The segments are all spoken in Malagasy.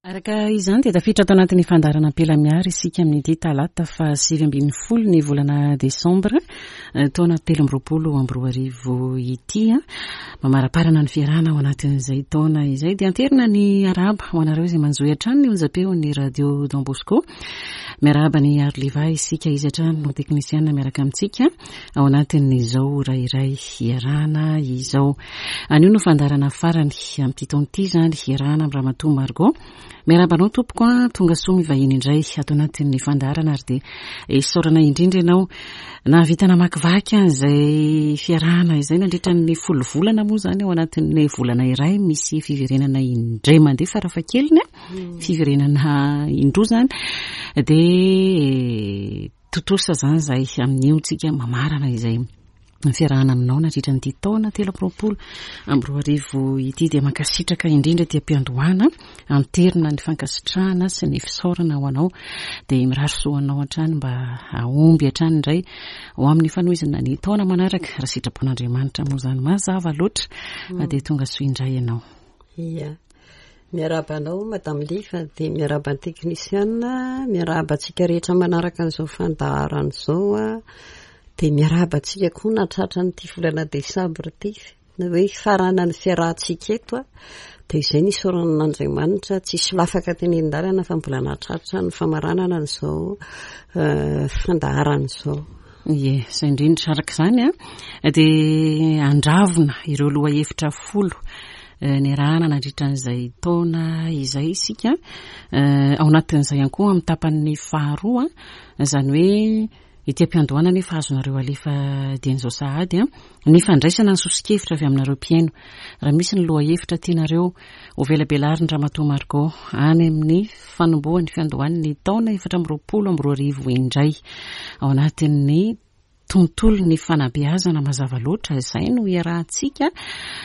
Araka izany dia tafiditra ato anatin'ny fandaharana Ampela Miary isika amin'ity talata faha 19 ny volana desambra eh, taona 2023 ity. Mamaraparana ny fiarahana ao anatin'izay taona izay dia anterina ny arahaba ho anareo izay manjohy hatrany ny onjam-peon'ny radio Don Bosco. Miarahaba ny Arliva isika izy hatrany no teknisiana miaraka amintsika ao anatin'izao ora iray iarahana izao. Anio no fandaharana farany amin'ity taona ity izany iarahana amin'i Ramatoa Margot. Miarahaba anao tompoko a, tonga soa mivahiny indray ato anatin'ny fandaharana ary dia isaorana indrindra ianao nahavita namakivaky an'izay fiarahana izay nandritra ny folo volana moa izany ao anatin'ny volana iray misy fiverenana indray mandeha farafahakeliny a, fiverenana indroa izany dia Tontosa izany izay amin'io tsika mamarana izay ny fiarahana aminao nandritra an'ity taona 2023 ity dia mankasitraka indrindra aty am-piandohana anterina ny fankasitrahana sy ny fisaorana ho anao dia mirary soa anao hatrany mba hahomby hatrany indray ho amin'ny fanohizana ny taona manaraka raha sitrapon'Andriamanitra moa izany mazava loatra dia tonga soa indray ianao. Ia. Miarahaba anao Madame Liva dia miarahaba ny teknisiana, miarahaba antsika rehetra manaraka an'izao fandaharana izao dia miarahaba antsika koa nahatratra an'ity volana desambra ity na hoe hifaranan'ny fiarahantsika eto dia izay ny isaorana an'Andriamanitra tsy solafaka teny an-dalana fa mbola nahatratra ny famaranana an'izao eh, fandaharana izao. Ie, izay indrindra. Araka izany dia andravona ireo lohahevitra folo eh, niarahana nandritra an'izay taona izay isika. Eh, ao anatin'izay ihany koa amin'ny tapany faharoa, izany hoe ety am-piandohana nefa azonareo alefa dieny izao sahady ny fandraisana ny soso-kevitra avy aminareo mpihaino. Raha misy ny lohahevitra tianareo hovelabelarin-dRamatoa Margot any amin'ny fanombohan'ny fiandohan'ny taona 2024 indray ao anatin'ny tontolon'ny fanabeazana mazava loatra izay no iarahantsika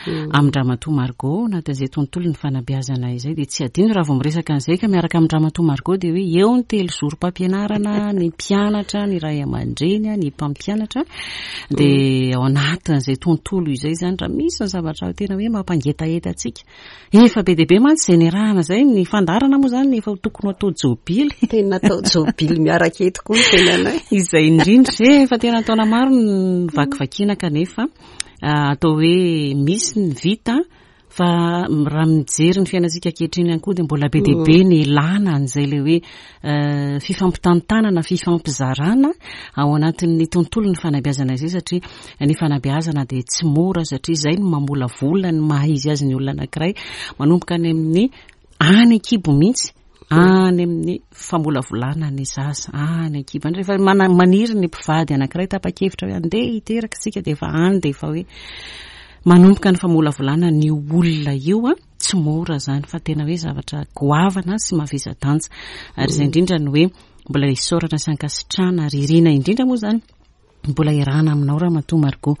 mm. amin-dRamatoa Margot anatin'izay tontolon'ny fanabeazana izay dia tsy adino raha vao miresaka an'izay ka miaraka amin-dRamatoa Margot dia hoe eo ny telo zorom-pampianarana ny mpianatra ny ray aman-dreny ny mpampianatra dia ao anatin'izay tontolo izay izany raha misy ny zavatra tena hoe mampangetaheta antsika Efa be dia be mantsy izay niarahana izay, ny fandaharana moa izany efa tokony ho atao jobily. Tena atao jobily miaraka eto koa ny tenanay. Izay indrindra, eh, efa tena taona maro ny vakivakiana kanefa ah, atao hoe misy ny vita fa raha mijery ny fiainantsika ankehitriny ihany koa dia mbola be dia be mm. ny ilàna an'izay ilay hoe eh, fifampitantanana, fifampizarana ao anatin'ny tontolon'ny fanabeazana izay satria Ny fanabeazana dia tsy mora satria izay no mamolavola ny maha izy azy ny olona anankiray manomboka any amin'ny any an-kibo mihitsy any amin'ny famolavolana ny zaza any an-kibo any. Rehefa maniry ny mpivady anankiray tapa-kevitra hoe andeha hiteraka isika dia efa any dia efa hoe manomboka ny famolavolana ny olona io an, tsy mora izany fa tena hoe zavatra goavana sy mavesa-danja. Ary izay indrindra no hoe mbola isaorana sy ankasitrahana ary irina indrindra moa izany Mbola iarahana aminao Ramatoa Margot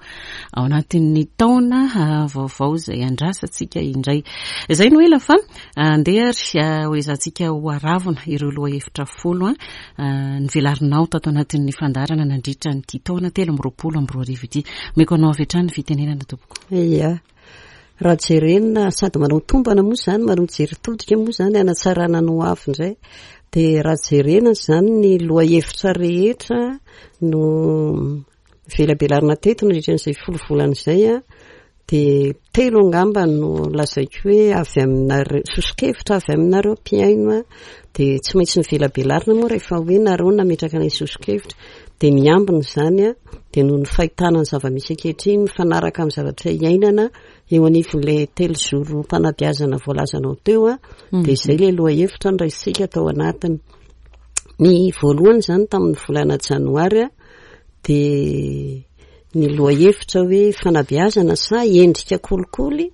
ao anatin'ny taona ah, vaovao izay andrasantsika indray. Izay no ela fa ah, andeha ary ah, ho ezahantsika ho aravona ireo lohahevitra folo nivelarinao tato anatin'ny fandaharana nandritra an'ity taona 2023 ity. Omeko anao avy hatrany ny fitenenana tompoko. Ia. Raha jerena sady manao tombana moa izany, manao jery todika moa izany hanatsarana ny ho avy indray. Dia raha jerena izany ny lohahevitra rehetra no velabelarina teto nandritra an'izay folo volana izay a, dia telo angamba no lazaiko hoe avy aminareo, soso-kevitra avy aminareo mpihaino a, dia tsy maintsy novelabelarina moa rehefa hoe nareo nametraka an'ilay soso-kevitra. Dia ny ambiny izany a, dia noho ny fahitana ny zava-misy ankehitriny mifanaraka amin'ny zavatra iainana eo anivon'ilay telozorom-panabeazana voalazanao teo a, dia izay ilay lohahevitra noraisintsika tao anatiny. Ny voalohany izany tamin'ny volana janoary a, dia ny lohahevitra hoe fanabeazana sa endrika kolikoly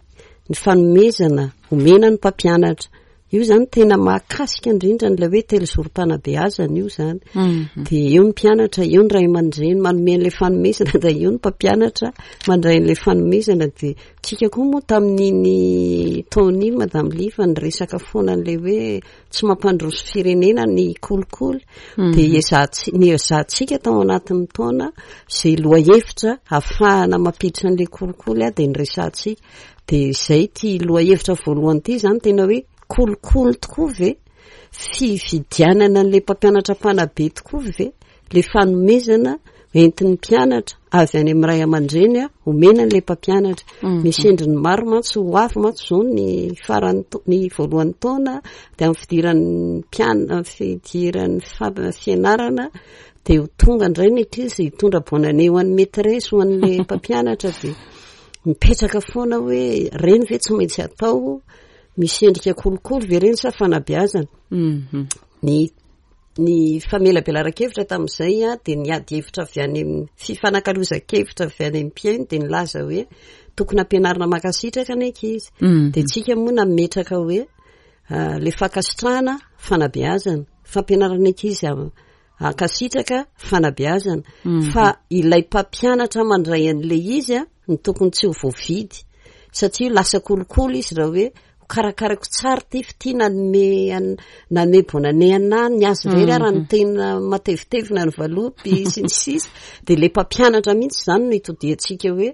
ny fanomezana omena ny mpampianatra. Io izany tena mahakasika indrindra an'ilay hoe telozorom-panabeazana io izany. Mhm. Dia eo ny mpianatra, eo ny ray aman-dreny manome an'ilay fanomezana, dia eo ny mpampianatra mandray an'ilay fanomezana. Dia tsika koa moa tamin'iny taona iny Madame Liva niresaka foana an'ilay hoe tsy mampandroso firenena ny kolikoly. Mhm. Dia ezahantsika, niezahantsika tao anatin'ny taona izay lohahevitra ahafahana mampiditra an'ilay kolikoly dia niresahantsika. Dia izay ity lohahevitra voalohany ity izany tena hoe. Kolikoly tokoa ve? Fividianana an'ilay mpampianatra mpanabe tokoa ve ilay fanomezana entin'ny mpianatra avy any amin'ny ray aman-dreny omena an'ilay mpampianatra? Misy endriny maro mantsy ho avy mantsy izao ny faran'ny ny voalohan'ny taona dia amin'ny fidiran'ny mpiana- fidiran'ny fianarana dia ho tonga indray ny ankizy hitondra bonne année ho an'ny maîtresse, ho an'ilay mpampianatra dia mipetraka foana hoe ireny ve tsy maintsy atao? Misy endrika kolikoly ve ireny sa fanabeazana? Mhm. Ny ny famelabelaran-kevitra tamin'izay a, dia niady hevitra avy any amin'ny fifanakalozan-kevitra avy any amin'ny mpihaino dia nilaza hoe tokony ampianarina mankasitraka ny ankizy. Mhm. Dia tsika moa nametraka hoe ah, le fankasitrahana fanabeazana, fampianarana ankizy hankasitraka fanabeazana. Mhm. Fa ilay mpampianatra mandray an'ilay izy a, no tokony tsy ho voavidy satria lasa kolikoly izy raha hoe ho karakaraiko tsara ity f'ity nanome nanome bonane anah ny azy irery ara ny tena matevitevina ny valopy sy ny sisa dia ilay mpampianatra mihitsy izany no itodiantsika hoe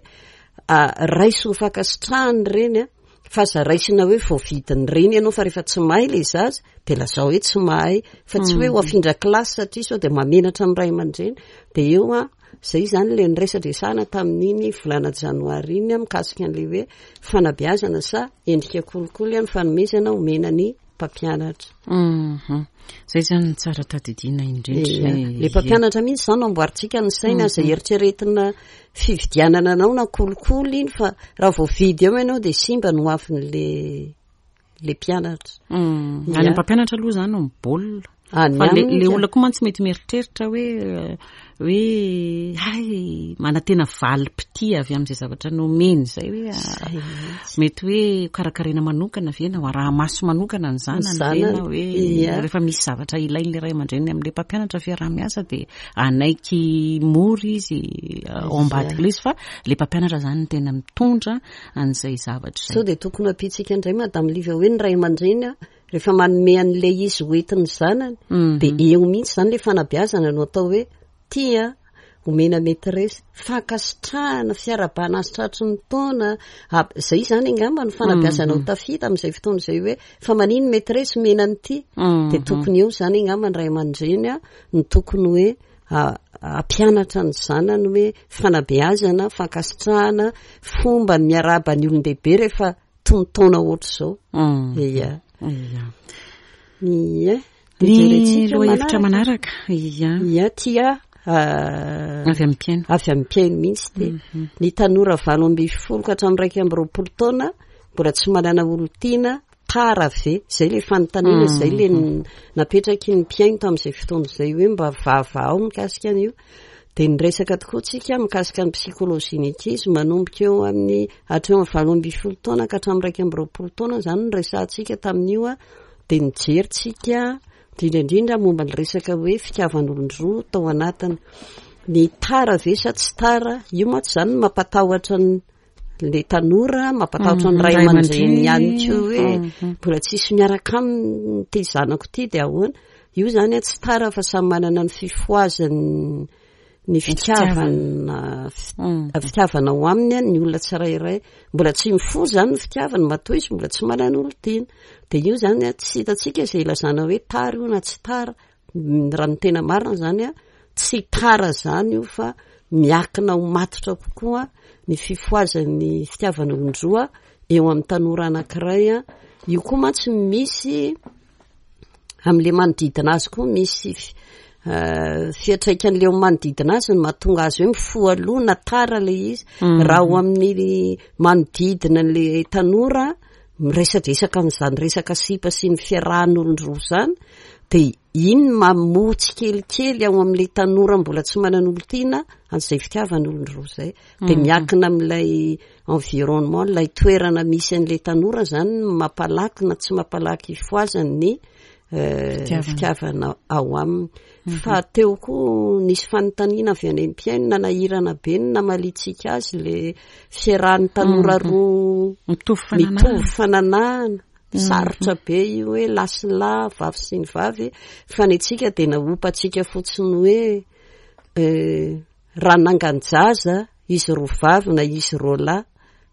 raiso ho fankasitrahana ireny a fa aza raisina hoe voavidin'ny reny ianao fa rehefa tsy mahay ilay zaza dia lazao hoe tsy mahay fa tsy hoe ho afindra kilasy satria sao dia mamenatra amin'ny ray aman-dreny dia eo a Izay izany ilay niresadresahana tamin'iny volana janoary iny mikasika an'ilay hoe fanabeazana sa endrika kolikoly ny fanomezana omena ny mpampianatra. Mhm. Izay izany no tsara tadidiana indrindra. Ilay mpampianatra mihitsy izany no amboarintsika ny saina, aza eritreretina fividianana anao na kolikoly iny fa raha voavidy eo ianao dia simba ny hoavin'ilay le mpianatra. Mm. Any mpampianatra aloha zany no mibaolina. Fa le, le olona koa mantsy mety mieritreritra hoe hoe hay manantena valim-pitia avy amin'izay zavatra nomeny izay hoe ah, mety hoe karakaraina manokana ve na ho araha-maso manokana ny zanany ve na hoe rehefa misy zavatra ilain'ilay ray aman-dreniny amin'ilay mpampianatra fiaraha-miasa dia anaiky mora izy ah, ao ambadika ilay izy fa ilay mpampianatra zany no tena mitondra an'izay zavatra izay. Sao dia tokony hampiantsika indray Madame Liva hoe ny ray aman-dreny rehefa manome an'ilay izy ho entin'ny zanany mhm. dia eo mihitsy izany ilay fanabeazana no atao hoe tia omena maîtresse fankasitrahana fiarabana azy tratry ny taona zay izany angamba ny fanabeazana ho mhm. tafita amin'izay fotoana izay hoe fa manino maîtresse omena an'ity mhm. dia tokony eo izany angamba ny ray aman-dreny a no tokony hoe hampianatra ny zanany hoe fanabeazana, fankasitrahana, fomba ny miarahaba ny olon-dehibe rehefa tonontaona ohatr'izao. Mm. Ia. Ia. Ia. Ny lohahevitra manaraka. Ia. Ia, tia ah, avy amin'ny mpihaino. Avy amin'ny mpihaino mihitsy ty. Mhm. Ny tanora 18 ka hatramin'ny 21 taona mbola tsy manana olon-tiana Tara ve? Izay ilay fanontaniana, izay ilay napetraky ny mpihaino tamin'izay fotoana izay hoe mba vahavahao mikasika an'io. Dia niresaka tokoa tsika mikasika ny psychologie ny ankizy manomboka eo amin'ny hatreo amin'ny 18 taona ka hatramin'ny 21 taona izany no resahantsika tamin'io dia nijery tsika indrindra indrindra momba ny resaka hoe fitiavan'olon-droa tao anatiny. Ny tara ve sa tsy tara? Io mantsy izany no mampatahotra ny le tanora mampatahotra ny ray aman-dreny ihany koa hoe mbola tsisy miaraka aminy ity zanako ity dia ahoana? Io zany tsy tara fa samy manana ny fifohazany ny fitiavana fitiavana ao aminy ny olona tsirairay. Mbola tsy mifoha zany ny fitiavany matoa izy mbola tsy manana olon-tiana. Dia io zany tsy hitantsika izay ilazana hoe tara io na tsy tara. Raha ny tena marina izany a, tsy tara izany io fa miakina ho matotra kokoa ny fifohazan'ny fitiavan'olon-droa eo amin'ny tanora anankiray a. Io koa mantsy misy amin'ilay manodidina azy koa misy fiantraikan'ilay eo manodidina azy no mahatonga azy hoe mifoha aloha na tara ilay izy. Raha ao amin'ny manodidina an'ilay tanora miresadresaka an'izany resaka sipa sy ny fiarahan'olon-droa izany dia iny no mamoha tsikelikely ao amin'ilay tanora mbola tsy manana olon-tiana an'izay fitiavan'olon-droa izay. Dia miankina amin'ilay environnement, ilay toerana misy an'ilay tanora izany no mampalaky na tsy mampalaky hifohazany ny fitiavana ao aminy. Fa teo koa nisy fanontaniana avy any amin'ny mpihaino nanahirana be ny namaliantsika azy le fiarahan'ny tanora roa mitovy fananahana. Sarotra be io hoe lahy sy lahy, vavy sy ny vavy, fa ny antsika dia nahopantsika fotsiny hoe raha nangan-jaza izy roa vavy na izy roa lahy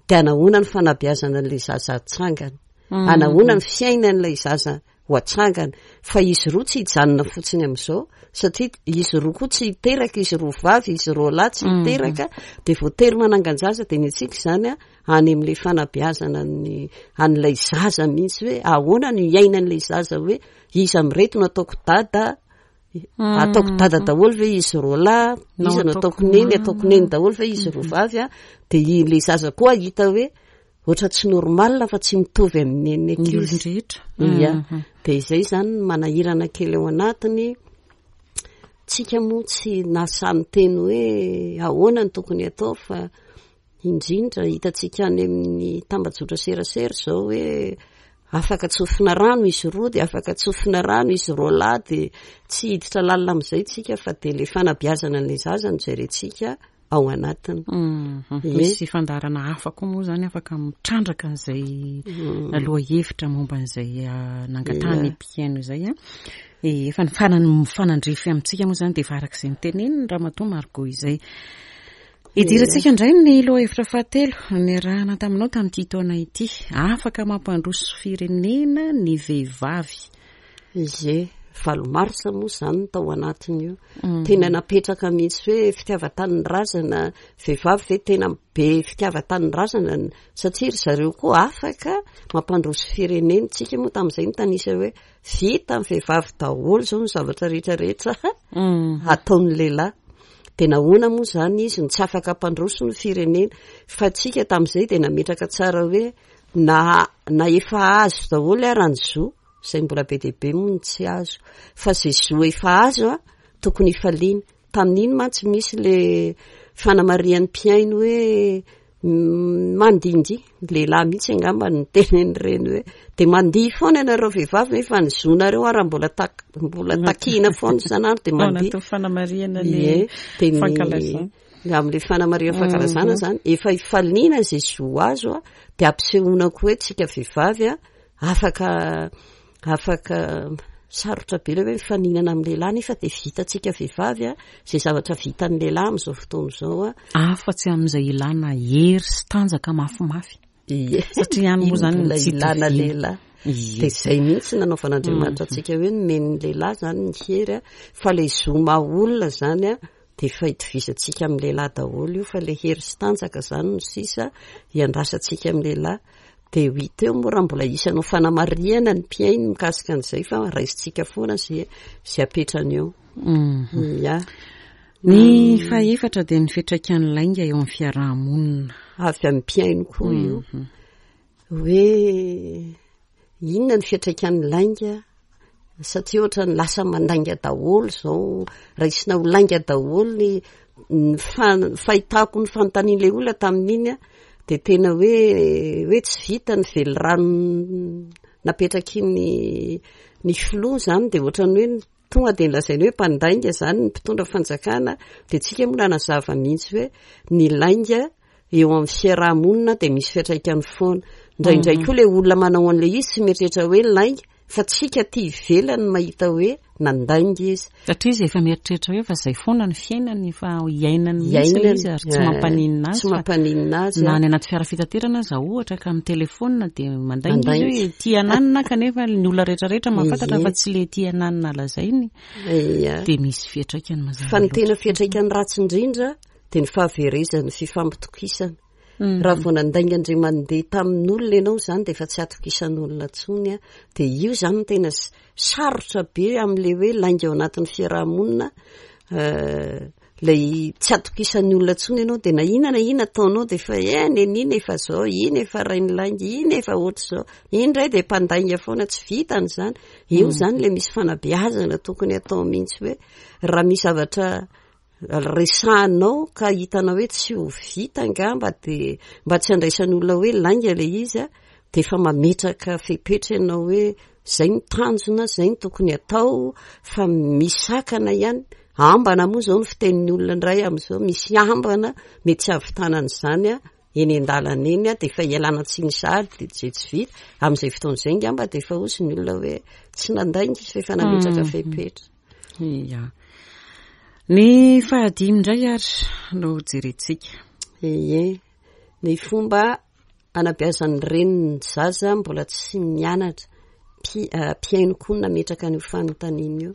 dia anahoana ny fanabeazana an'ilay zaza hatsangana. Anahoana ny fiainan'ilay zaza ho atsangana. Fa izy roa tsy hijanona fotsiny amin'izao, satria izy roa koa tsy hiteraka, izy roa vavy, izy roa lahy tsy hiteraka, dia voatery manangan-jaza, dia ny antsika izany any amin'ilay fanabeazana ny an'ilay zaza mihitsy hoe ahoana no iainan'ilay zaza hoe iza amin'ireto no ataoko dada, ataoko dada daholo ve izy roa lahy, iza no ataoko neny, ataoko neny daholo ve izy roa vavy a, dia ilay zaza koa hahita hoe ohatra tsy normal fa tsy mitovy amin'ny an'ny ankizy. Ny olon-drehetra. Ia. Dia izay izany no manahirana kely ao anatiny. Tsika moa tsy nahasahy niteny hoe ahoana no tokony atao fa indrindra hitantsika any amin'ny tambajotra serasera izao hoe afaka tsofina rano izy roa dia afaka tsofina rano izy roa lahy dia tsy hiditra lalina amin'izay tsika fa dia ilay fanabeazana an'ilay zaza no jerentsika ao anatiny. Mhm. Misy fandaharana hafa koa moa zany afaka mitrandraka an'izay mhm. lohahevitra momba an'izay ah, nangatahany mpihaino izay a. Eh, efa ny farany mifanandrify amintsika moa zany dia efa araka izay niteneniny Ramatoa Margot izay. Idirantsika indray ny lohahevitra fahatelo niarahana taminao tamin'ity taona ity. Afaka mampandroso firenena ny vehivavy. Ie, valo marsa moa izany no tao anatin'io. Mm. Tena napetraka mihitsy hoe fitiavan-tanindrazana, vehivavy ve tena be fitiavan-tanindrazana satria ry zareo koa afaka mampandroso firenena. Tsika moa tamin'izay nitanisa hoe vita ny vehivavy daholo izao ny zavatra rehetra rehetra mm. ataon'ny lehilahy. Dia nahoana moa izany izy no tsy afaka hampandroso ny firenena? Fa tsika tamin'izay dia nametraka tsara hoe na na efa azo daholo ara ny zo izay mbola be dia be moa no tsy azo fa izay zo efa azo a tokony hifaliana tamin'iny mantsy misy le fanamarihan'ny mpihaino hoe mandindy lehilahy mihitsy angamba ny tenen'ireny hoe dia mandihy foana ianareo vehivavy nefa ny zonareo ara mbola tak mbola takiana foana isan'andro dia mandihy fanamarihana ny fankalazana amin'ilay fanamarihana fankalazana mhm. zany efa ifaliana izay zo azo a dia ampisehoana koa hoe tsika vehivavy a Afaka afaka sarotra be ilay hoe mifaninana amin'ny lehilahy nefa dia vitantsika vehivavy a izay zavatra vitan'ny lehilahy amin'izao fotoana izao a. Afa-tsy amin'izay ilana hery sy tanjaka mafimafy. Ie. Satria any moa izany ny tsy ilana lehilahy. Dia izay mihitsy nanaovan'Andriamanitra mhm. antsika hoe nomen'ny lehilahy izany ny hery a fa ilay zo maha olona izany a dia efa itovizantsika amin'ny lehilahy daholo io fa ilay hery sy tanjaka izany no sisa iandrasantsika amin'ny lehilahy. Dia ho hita eo moa raha mbola hisy hanao fanamarihana ny mpihaino mikasika an'izay fa raisintsika foana izay izay apetrany eo. Mhm. Ya. Ny fahefatra dia ny fiantraikan'ny lainga eo amin'ny fiaraha-monina. Avy amin'ny mpihaino koa io. Mhm. Hoe inona ny fiantraikan'ny lainga satria ohatran'ny lasa mandainga daholo izao, raisina ho lainga daholo ny ny fahitako ny fanontanian'ilay olona tamin'iny a, dia tena hoe hoe tsy vita ny velirano napetraky ny ny filoha izany dia ohatran'ny hoe tonga dia nolazainy hoe mpandainga izany ny mpitondra fanjakana, dia tsika moa nanazava mihitsy hoe ny lainga eo amin'ny fiaraha-monina dia misy fiantraikany foana. Indraindray mhm. koa ilay olona manao an'ilay izy tsy mieritreritra hoe lainga, fa tsika aty ivelany mahita hoe nandainga izy. Satria izy efa mieritreritra hoe fa izay foana ny fiainany, efa iainany mihitsy ilay izy ary tsy eh, mampaninona azy. Tsy mampaninona azy. Na any anaty fiara fitaterana aza ohatra ka amin'ny telefaonina dia mandainga izy hoe tia ananina kanefa ny olona rehetrarehetra mahafantatra fa tsy le tia ananina lazainy. Dia misy fiantraikany mazava. Fa ny tena fiantraikany ratsy indrindra dia ny fahaverezan'ny fifampitokisana. Mhm. Raha vao nandainga indray mandeha tamin'olona ianao izany dia efa tsy atokisan'olona intsony. Dia io izany no tena sarotra be amin'ilay hoe lainga ao anatin'ny fiaraha-monina. Eh, ilay tsy atokisan'ny olona intsony ianao dia na inona na inona ataonao dia efa eh nenina efa izao, iny efa rainilainga, iny efa ohatr'izao, iny indray dia mpandainga foana tsy vitany izany. Io mhm. izany ilay misy fanabeazana tokony atao mihitsy hoe raha misy zavatra resahanao ka hitanao hoe tsy ho vita angamba dia mba tsy handraisan'ny olona hoe lainga ilay izy a, dia efa mametraka fepetra ianao hoe zay ny tanjona, zay ny tokony atao fa misakana ihany. Ambana moa izao ny fitenin'ny olona indray amin'izao, misy ambana mety tsy hahavitana an'izany a, eny an-dalana eny a, dia efa ialana tsiny sahady dia izay tsy vita. Amin'izay fotoana izay angamba dia efa hozy ny olona hoe tsy nandainga izy fa efa nametraka mm. fepetra. Ia. Ny fahadimy indray ary no jerentsika. Ie. Ny fomba anabeazan'ny reny ny zaza mbola tsy mianatra. Mpihaino koa no nametraka an'io fanontaniana io.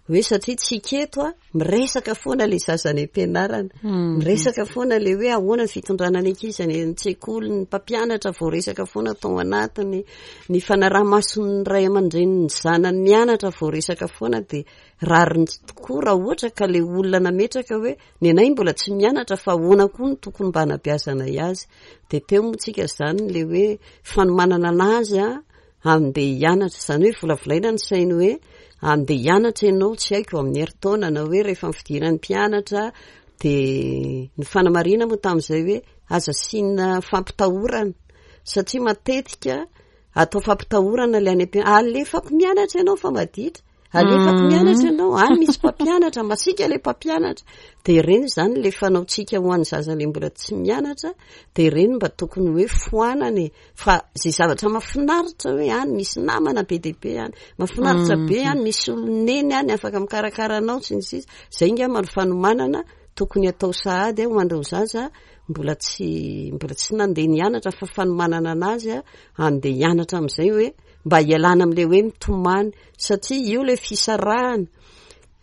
Hoe satria tsika eto a, miresaka foana ilay zaza any am-pianarana. Miresaka foana ilay hoe ahoana ny fitondrana ny ankizy any an-tsekoly, ny mpampianatra voaresaka foana tao anatiny, ny fanaraha-mason'ny ray aman-drenin'ny zanany mianatra voaresaka foana dia rariny tokoa raha ohatra ka ilay olona nametraka hoe ny anay mbola tsy mianatra fa ahoana koa no tokony mba hanabeazanay azy. Dia teo moa tsika izany ilay hoe fanomanana anazy a, Andeha hianatra, izany hoe volavolaina ny sainy hoe andeha hianatra ianao, tsy haiko, amin'ny herintaona na hoe rehefa ny fidiran'ny mpianatra dia ny fanamarihana moa tamin'izay hoe aza asiana fampitahorana satria matetika atao fampitahorana ilay any am-pianarana, alefako mianatra ianao fa maditra. Alefako mianatra ianao, any misy mpampianatra, masiaka ilay mpampianatra. Dia ireny izany ilay fanaontsika ho an'ny zaza ilay mbola tsy mianatra, dia ireny mba tokony hoe foanana e. Fa izay zavatra mahafinaritra hoe any misy namana be dia be any, mahafinaritra be any, misy oloneny any afaka mikarakara anao sy ny sisa. Izay angamba no fanomanana tokony hatao sahady ho an'ireo zaza mbola tsy mbola tsy nandeha nianatra fa fanomanana anazy handeha hianatra amin'izay hoe mba hialana amin'ilay hoe mitomany satria io ilay fisarahana,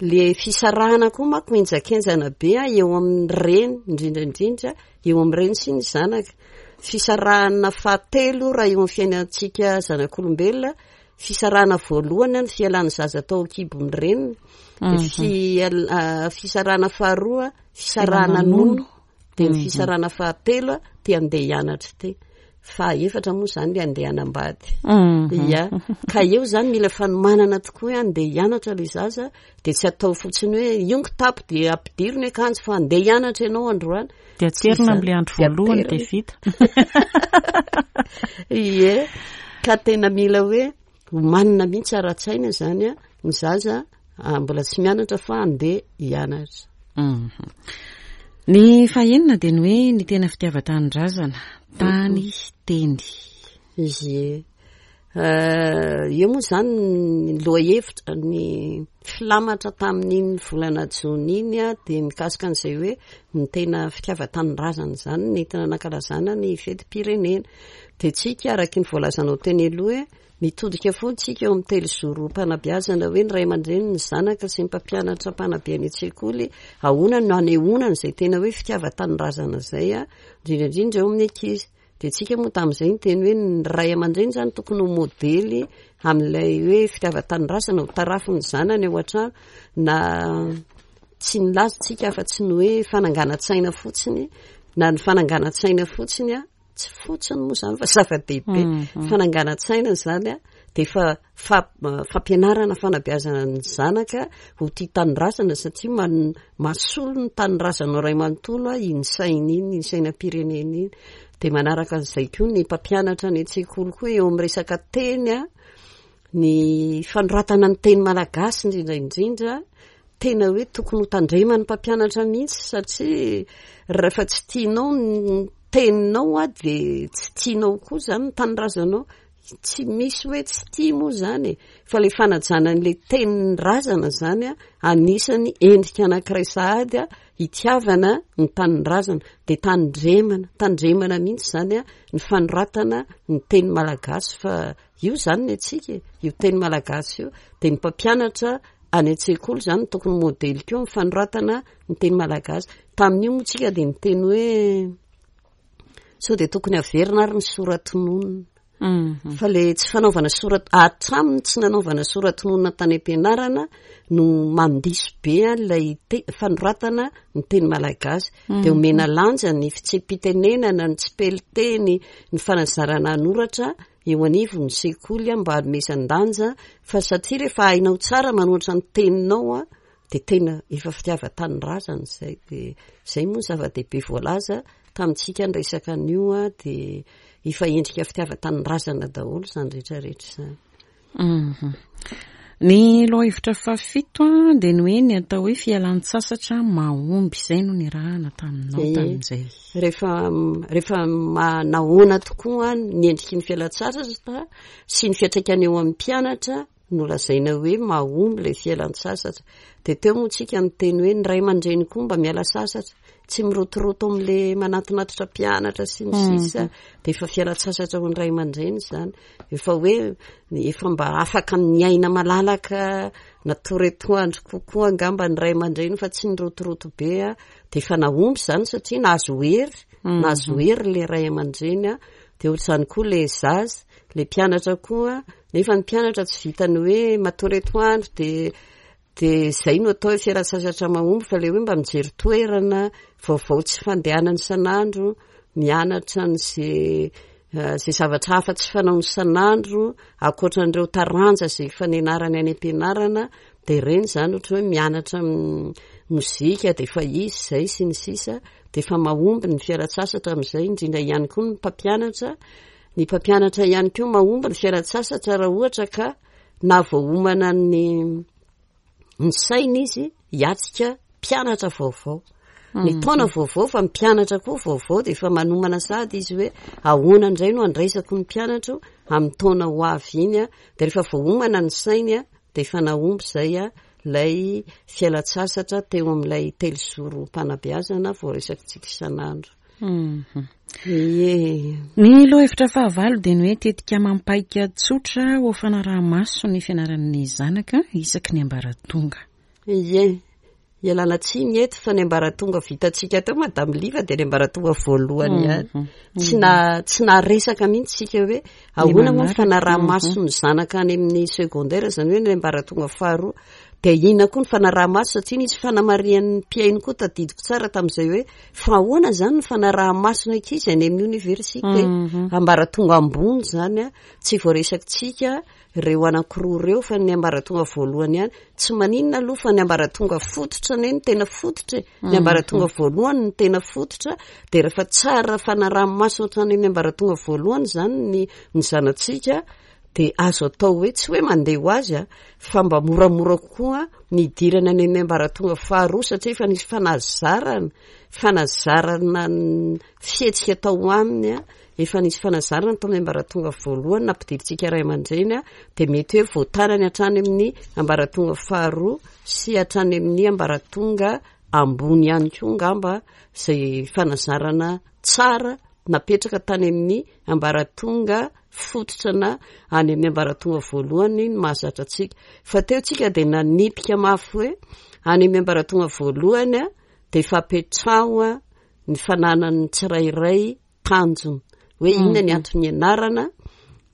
le fisarahana koa manko henjakenjana be a eo amin'ny reny indrindra indrindra eo amin'ny reny sy ny zanaka. Fisarahana fahatelo raha eo amin'ny fiainantsika zanak'olombelona, fisarahana voalohany ny fialan'ny zaza tao an-kibon'ny reniny, fisarahana faharoa fisarahana nono. Dia ny fisarahana fahatelo te handeha hianatra ity. Fahaefatra moa izany le handeha hanambady. Ia. Ka eo izany mila fanomanana tokoa hoe handeha hianatra ilay zaza, dia tsy atao fotsiny hoe io ny kitapo dia ampidiro ny akanjo fa handeha hianatra ianao androany. Dia aterina amin'ilay andro voalohany dia vita. Ie. Ka tena mila hoe omanina mihitsy ara-tsaina izany ny zaza mbola tsy mianatra fa handeha hianatra. Ny fahenina dia ny hoe ny tena fitiavan-tanindrazana, tany, teny. Ie. Eo moa izany ny lohahevitra, ny filamatra tamin'iny volana jona iny dia mikasika an'izay hoe ny tena fitiavan-tanindrazana izany nentina nankalazana ny fetim-pirenena. Dia tsika araka ny voalazanao teny aloha hoe Mitodika foana isika eo amin'ny telozorom-panabeazana hoe ny ray aman-dreny, ny zanaka sy ny mpampianatra mpanabe any an-tsekoly, ahoana no hanehoana an'izay tena hoe fitiavan-tanindrazana izay, indrindra indrindra eo amin'ny ankizy. Dia isika moa tamin'izay niteny hoe ny ray aman-dreny izany tokony ho modely amin'ilay hoe fitiavan-tanindrazana ho tarafin'ny zanany ao an-trano, na tsy nilaza isika afa-tsy ny hoe fananganan-tsaina fotsiny, na ny fananganan-tsaina fotsiny tsy fotsiny moa izany fa zava-dehibe. Fananganan-tsaina izany a, dia efa fampianarana fanabeazana ny zanaka ho tia tanindrazana satria mahasolo ny tanindrazana iray manontolo iny saina iny, iny sainam-pirenena iny. Dia manaraka an'izay koa ny mpampianatra any an-tsekoly koa eo amin'ny resaka teny a, ny fanoratana ny teny malagasy indrindra indrindra, tena hoe tokony ho tandreman'ny mpampianatra mihitsy satria rehefa tsy tianao ny teninao a dia tsy tianao koa izany ny tanindrazanao. Tsy misy hoe tsy tia moa izany e, fa ilay fanajana an'ilay tenin'ny razana izany a, anisan'ny endrika anankiray sahady a, hitiavana ny tanindrazana. Dia tandremana, tandremana mihitsy izany a, ny fanoratana ny teny malagasy fa io izany ny antsika e, io teny malagasy io. Dia ny mpampianatra any an-tsekoly izany no tokony modely koa amin'ny fanoratana ny teny malagasy. Tamin'io moa tsika dia niteny hoe sao dia tokony averina ary ny sora-tononina. Fa le tsy fanaovana sora-, hatramin'ny tsy nanaovana sora-tononina tany am-pianarana no mandiso be an'ilay fanoratana ny teny malagasy. Dia omena lanja ny fitsipi-pitenenana, ny tsipelin-teny, ny fanazarana hanoratra eo anivon'ny sekoly mba hanomezan-danja fa satria rehefa hainao tsara manoratra ny teninao dia tena efa fitiavan-tanindrazana izay. Dia izay moa ny zava-dehibe voalaza tamintsika niresaka an'io dia efa endrika fitiavan-tanindrazana daholo izany rehetra rehetra izany. Ny lohahevitra fahafito dia ny hoe ny atao hoe fialan-tsasatra mahomby. Izay no nirahana taminao tamin'izay. Rehefa, rehefa manahoana tokoa ny endriky ny fialan-tsasatra sy ny fiantraikany eo amin'ny mpianatra. no lazaina hoe mahomby ilay fialan-tsasatra. Dia teo moa tsika niteny hoe ny ray aman-dreny koa mba miala sasatra, tsy mirotoroto amin'ilay manatinatitra mpianatra sy ny sisa, dia efa fialan-tsasatra ho an'ny ray aman-dreny izany. Efa hoe efa mba afaka miaina malalaka natory atoandro kokoa angamba ny ray aman-dreny fa tsy nirotoroto be a. Dia efa nahomby izany satria nahazo hery, nahazo hery ilay ray aman-dreny a. Dia ohatr'izany koa ilay zaza, ilay mpianatra koa, nefa ny mpianatra tsy vitan'ny hoe matory atoandro dia dia izay no atao hoe fialan-tsasatra mahomby fa ilay hoe mba mijery toerana vaovao tsy fandehanana isan'andro, mianatra an'izay izay zavatra hafa tsy fanaony isan'andro ankoatra an'ireo taranja izay efa nianarany any am-pianarana dia ireny izany ohatra hoe mianatra mozika dia efa izy izay sy ny sisa dia efa mahomby ny fialan-tsasatra amin'izay, indrindra ihany koa ny mpampianatra, ny mpampianatra ihany koa mahomby ny fialan-tsasatra raha ohatra ka na voaomana ny ny saina izy hiatrika mpianatra vaovao. Ny taona vaovao fa ny mpianatra koa vaovao dia efa manomana sahady izy hoe ahoana indray no handraisako ny mpianatro amin'ny taona ho avy iny a. Dia rehefa voaomana ny sainy a, dia efa nahomby izay a ilay fialan-tsasatra teo amin'ilay telozorom-panabeazana voaresakitsika isan'andro. Ie. Ny lohahevitra fahavalo dia ny hoe tetika amam-paika tsotra ho fanaraha-maso ny fianaran'ny zanaka isaky ny ambaratonga. Ie. Ialana tsiny eto fa ny ambaratonga vitantsika teo Madame Liva dia ny ambaratonga voalohany ihany. Tsy na tsy naharesaka mihitsy isika hoe ahoana moa ny fanaraha-maso ny zanaka any amin'ny secondaire, izany hoe ny ambaratonga faharoa. Dia inona koa ny fanaraha-maso satria nisy fanamarihan'ny mpihaino koa tadidiko tsara tamin'izay hoe fa ahoana izany ny fanaraha-maso ny ankizy any amin'ny oniversite ambaratonga ambony izany a, tsy voaresakitsika ireo anankiroa ireo fa ny ambaratonga voalohany ihany. Tsy maninona aloha fa ny ambaratonga fototra anie no tena fototra e. Ny ambaratonga voalohany no tena fototra dia rehefa tsara fanaraha-maso hatrany amin'ny ambaratonga voalohany izany ny ny zanatsika dia azo atao hoe tsy hoe mandeha ho azy a, fa mba moramora kokoa ny hidirana any amin'ny ambaratonga faharoa satria efa nisy fanazarana, fanazarana ny fihetsika tao aminy a, efa nisy fanazarana tao amin'ny ambaratonga voalohany nampidirintsika ray aman-dreny a, dia mety hoe voatanany hatrany amin'ny ambaratonga faharoa sy hatrany amin'ny ambaratonga ambony ihany koa angamba izay fanazarana tsara napetraka tany amin'ny ambaratonga fototra na any amin'ny ambaratonga voalohany ny mahazatra antsika. Fa teo tsika dia nanipika mafy hoe any amin'ny ambaratonga voalohany dia efa apetraho ny fananan'ny tsirairay tanjona. Hoe inona ny antony ianarana,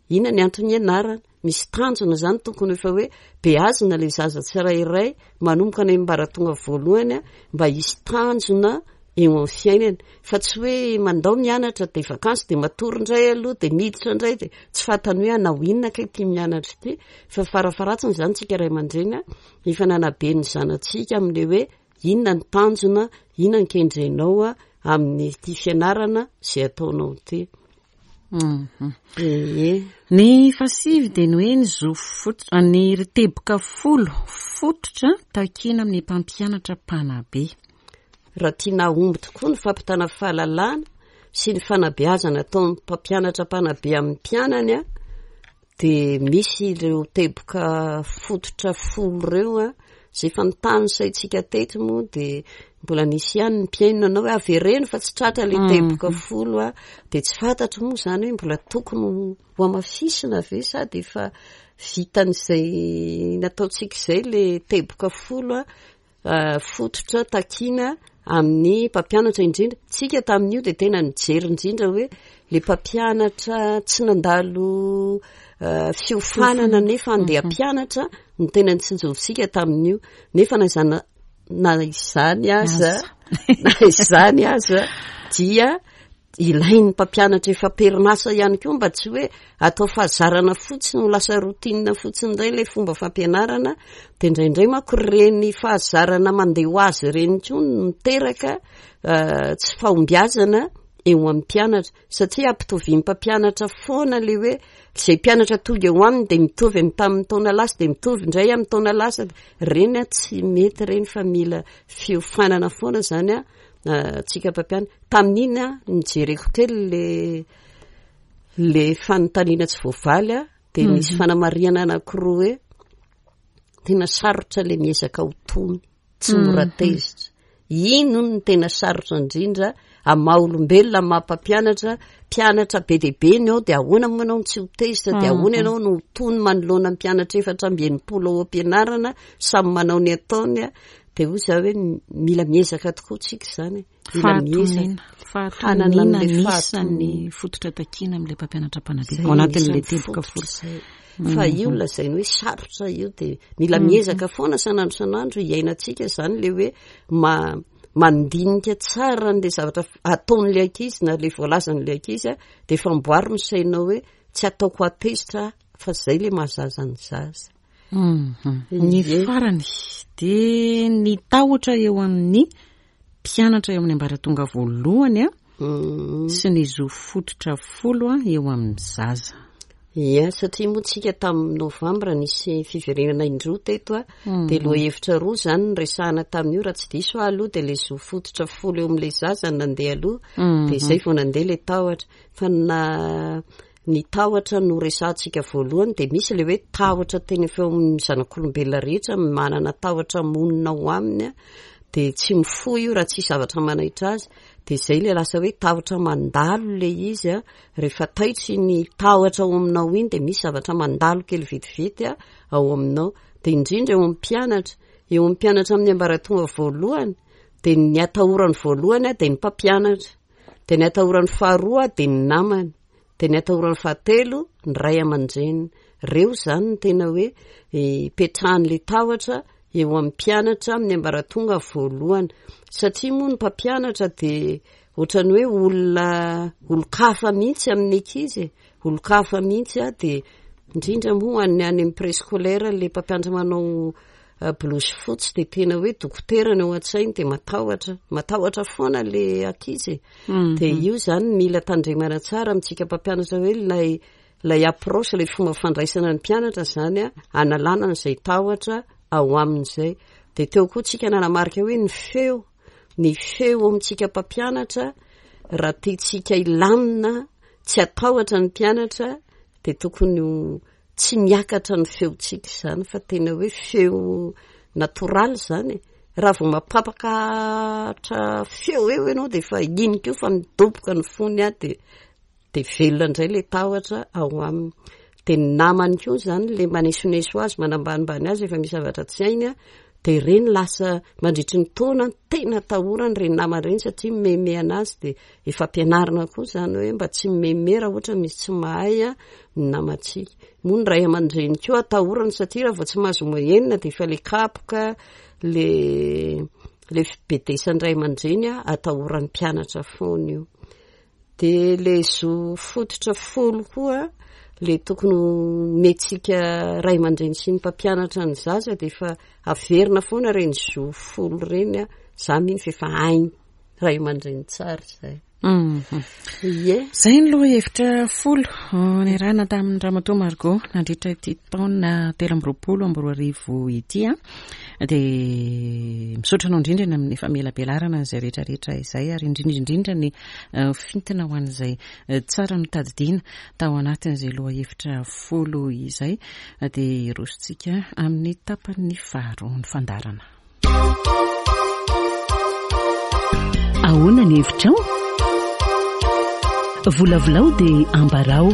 inona ny antony ianarana. Misy tanjona izany tokony efa hoe beazina ilay zaza tsirairay manomboka any amin'ny ambaratonga voalohany mba hisy tanjona eo amin'ny fiainany fa tsy hoe mandao mianatra dia vakansy dia matory indray aloha dia miditra indray dia tsy fantany hoe hanao inona kay ity mianatra ity fa farafaharatsiny izany tsika ray aman-dreny efa nanabe ny zanatsika amin'ilay hoe inona ny tanjona, inona ny kendrenao amin'ity fianarana izay ataonao ity. Ie. Ny fahasivy dia ny hoe ny zo fototra, ny teboka folo fototra takiana amin'ny mpampianatra mpanabe. Raha tiana hahomby tokoa ny fampitana fahalalana sy ny fanabeazana ataon'ny mpampianatra mpanabe amin'ny mpianany dia misy ireo teboka fototra folo ireo a, izay efa notanisaintsika teto moa dia mbola nisy ihany ny mpihaino nanao hoe avereno fa tsy tratra ilay teboka folo a, dia tsy fantatro moa izany hoe mbola tokony ho hamafisina ve sa dia efa vitan'izay nataontsika izay ilay teboka folo a. Fototra takiana amin'ny mpampianatra indrindra. Tsika tamin'io dia tena nijery indrindra hoe le mpampianatra tsy nandalo fiofanana nefa andeha hampianatra no tena nitsinjovintsika tamin'io. Nefa na izany na izany aza na izany aza dia ilain'ny mpampianatra efa am-perinasa ihany koa mba tsy hoe atao fahazarana fotsiny ho lasa routine fotsiny indray ilay fomba fampianarana dia indraindray manko ireny fahazarana mandeha ho azy ireny koa no miteraka tsy fahombiazana eo amin'ny mpianatra satria ampitovian'ny mpampianatra foana ilay hoe izay mpianatra tonga eo aminy dia mitovy amin'ny tamin'ny taona lasa dia mitovy indray amin'ny taona lasa, ireny tsy mety ireny fa mila fiofanana foana izany an. Tsika mpampianatra. Tamin'iny aho nijereko kely le le fanontaniana tsy voavaly a, dia nisy fanamarihana anankiroa hoe. Tena sarotra le miezaka ho tony, tsy mora tezitra. Iny hono no tena sarotra indrindra amin'ny maha olombelona, amin'ny maha mpampianatra, mpianatra be dia be ny ao dia ahoana moa ianao no tsy ho tezitra, dia ahoana ianao no ho tony manoloana ny mpianatra 64 ao am-pianarana, samy manao ny ataony, dia hoy izaho hoe mila miezaka tokoa tsika izany e. Mila miezaka. Fahatoniana anisan'ny fototra takiana amin'ilay mpampianatra mpanabe ao anatin'ilay teboka folo. Fa io lazainy hoe sarotra io dia mila miezaka foana isan'andro isan'andro hiainantsika izany ilay hoe mandinika tsara an'ilay zavatra ataon'ilay ankizy na ilay voalazan'ilay ankizy dia efa amboary ny sainao hoe tsy ataoko hatezitra fa izay ilay mahazaza ny zaza. Ny farany dia ny tahotra eo amin'ny mpianatra eo amin'ny ambaratonga voalohany a sy ny zo fototra folo a eo amin'ny zaza. Ia, satria moa tsika tamin'ny novambra nisy fiverenana indroa teto a, dia lohahevitra roa izany no resahana tamin'io, raha tsy diso aho aloha dia ilay zo fototra folo eo amin'ilay zaza no nandeha aloha, dia izay vao nandeha ilay tahotra. Fa na ny tahotra no resahantsika voalohany dia misy ilay hoe tahotra tena efa eo amin'ny zanak'olombelona rehetra, manana tahotra monina ao aminy dia tsy mifoha io raha tsisy zavatra manaitra azy, dia izay ilay lasa hoe tahotra mandalo ilay izy a, rehefa taitra iny tahotra ao aminao iny dia misy zavatra mandalo kely vetivety ao aminao, dia indrindra eo amin'ny mpianatra, eo amin'ny mpianatra amin'ny ambaratonga voalohany dia ny atahorany voalohany dia ny mpampianatra. Dia ny atahorany faharoa dia ny namany. Dia ny atahorany fahatelo ny ray aman-dreniny. Ireo izany no tena hoe ipetrahan'ilay tahotra eo amin'ny mpianatra amin'ny ambaratonga voalohany. Satria moa ny mpampianatra dia ohatran'ny hoe olona olon-kafa mihitsy amin'ny ankizy e. Olon-kafa mihitsy dia indrindra moa any amin'ny préscolaire ilay mpampianatra manao Blouse fotsy dia tena hoe dokotera ny ao an-tsainy dia matahotra, matahotra foana le ankizy e. Dia io izany mila tandremana tsara amintsika mpampianatra hoe ilay ilay approche, ilay fomba fandraisana ny mpianatra izany a, analana an'izay tahotra ao aminy izay. Dia teo koa tsika nanamarika hoe ny feo, ny feo amintsika mpampianatra raha tiantsika hilamina, tsy hatahotra ny mpianatra dia tokony ho Tsy miakatra ny feontsika izany fa tena hoe feo natoraly izany e. Raha vao mampapakatra feo eo ianao dia efa iny koa fa midoboka ny fony aho dia dia velona indray ilay tahotra ao aminy. Dia ny namany koa izany ilay manesoneso azy, manambanimbany azy rehefa misy zavatra tsy hainy dia ireny lasa mandritry ny taona tena atahorany ireny namany ireny satria mimehimehana azy dia Efa ampianarina koa izany hoe mba tsy mimeme raha ohatra misy tsy mahay ny namantsika. Moa ny ray aman-dreny koa atahorana satria raha vao tsy mahazo moyenne dia efa le kapoka, le le fibedesan'ny ray aman-dreny atahoran'ny mpianatra foana io. Dia le zo fototra folo koa le tokony homentsika ray aman-dreny sy ny mpampianatra ny zaza dia efa averina foana ireny zo folo ireny, za mino fa efa hainy. ray aman-dreny tsara izay. Mhm. Ie. Izay ny lohahevitra folo oh, niarahana tamin'ny Ramatoa Margot nandritra ity taona 2023 ity. Dia misaotra anao indrindra ny amin'ny famelabelarana an'izay rehetrarehetra izay ary indrindra indrindra ny eh, fintina ho an'izay eh, tsara notadidiana tao anatin'izay lohahevitra folo izay. Dia hirosontsika amin'ny tapany faharoa ny fandaharana. Ahoana ny hevitrao? Volavolao dia ambarao.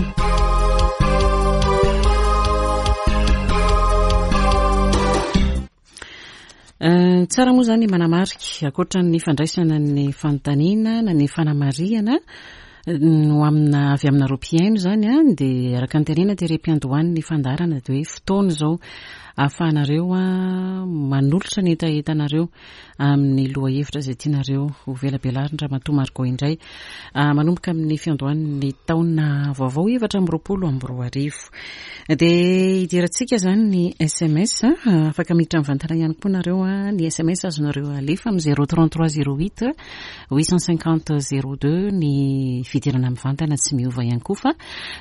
Eh, tsara moa izany manamarika ankoatra ny fandraisana ny fanontaniana na ny fanamarihana no amina avy aminareo mpihaino izany a dia araka ny tenena tery am-piandohan'ny fandaharana dia hoe fotoana izao ahafahanareo manolotra ny hetahetanareo amin'ny lohahevitra izay tianareo ho velabelarin Ramatoa Margot indray manomboka amin'ny fiandohan'ny taona vaovao 2024. Dia hidirantsika izany ny sms, afaka miditra mivantana ihany koa nareo ny sms azonareo alefa amin'ny 033 08 850 02 ny fidirana mivantana tsy miova ihany koa fa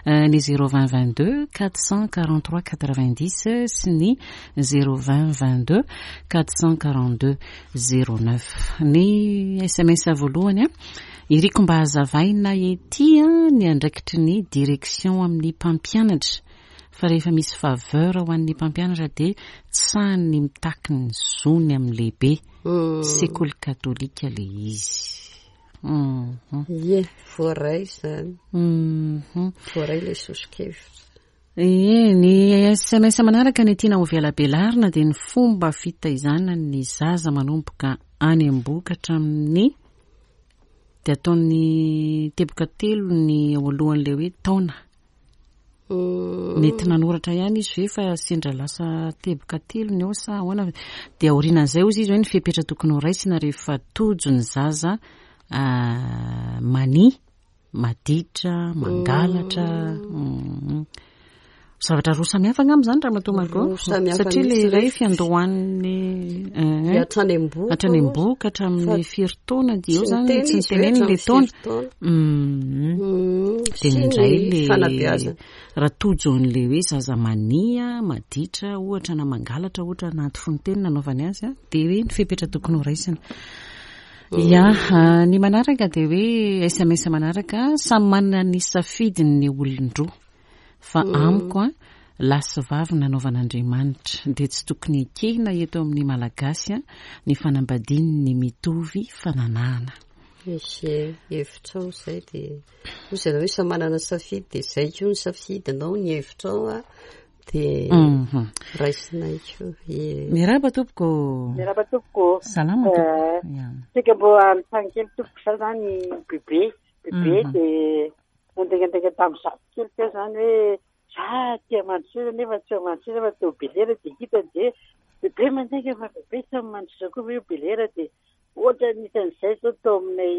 ny 020 22 443 90 sy ny 020 22 442 09. Ny sms voalohany iriko mba hazavaina ety ny andraikitry ny direction amin'ny mpampianatra. fa rehefa misy faveur ho an'ny mpampianatra dia tsy sahiny ny mitaky ny zony amin'ny lehibe. Sekoly katolika le izy. Ie, voaray izany. Voaray ilay soso-kevitra. Ie, ny sms manaraka ny tiana ho velabelarina dia ny fomba fitaizana ny zaza manomboka any am-bohoka hatramin'ny dia ataon'ny teboka telo ny ao alohan'ilay hoe taona. Mety nanoratra ihany izy ve fa sendra lasa teboka telo ny ao sa ahoana? Dia aorianan'izay hozy izy hoe ny fepetra tokony ho raisina rehefa tojo ny zaza mania, maditra, mangalatra. Zavatra roa samihafa angamba izany Ramatoa Margot? Roa samihafa Satria ilay mihitsy iray ilay fiandohan'ny, Dia hatrany am-bohoka hatrany hozy. am-bohoka hatramin'ny Fa firy taona dia eo tsy izany niteny tsy izy hoe niteneniny ilay hatramin'ny taona. firy taona. Dia Sy ny indray le fanabeazana. raha tojo an'ilay hoe zaza mania, maditra ohatra na mangalatra ohatra anaty fononteny nanaovany azy a, dia hoe ny fepetra tokony ho raisina. Ya, ny manaraka dia hoe SMS manaraka, samy manana ny safidiny ny olon-droa. Fa amiko an, lahy sy vavy nanaovan'Andriamanitra, dia tsy tokony ekena eto amin'ny Malagasy an, ny fanambadian'ny mitovy fananahana. Misy hevitrao izay dia hoy zareo hoe samy manana safidy dia izay koa ny safidinao, ny hevitrao an, dia raisinay koa. Ie. Miarahaba tompoko. Miarahaba tompoko. Salama tompoko. Ya. Saika mbo hanontany kely tompoko za zany bebe, bebe dia Nandaingandainga tamin'ny zafy kely teo izany hoe za aty Mandroseza nefa tsy ao Mandroseza fa teo Belera dia hitany dia bebe mandainga fa bebe tsy ao Mandroseza koa ve io Belera dia ohatran'ny hitan'izay izao tao aminay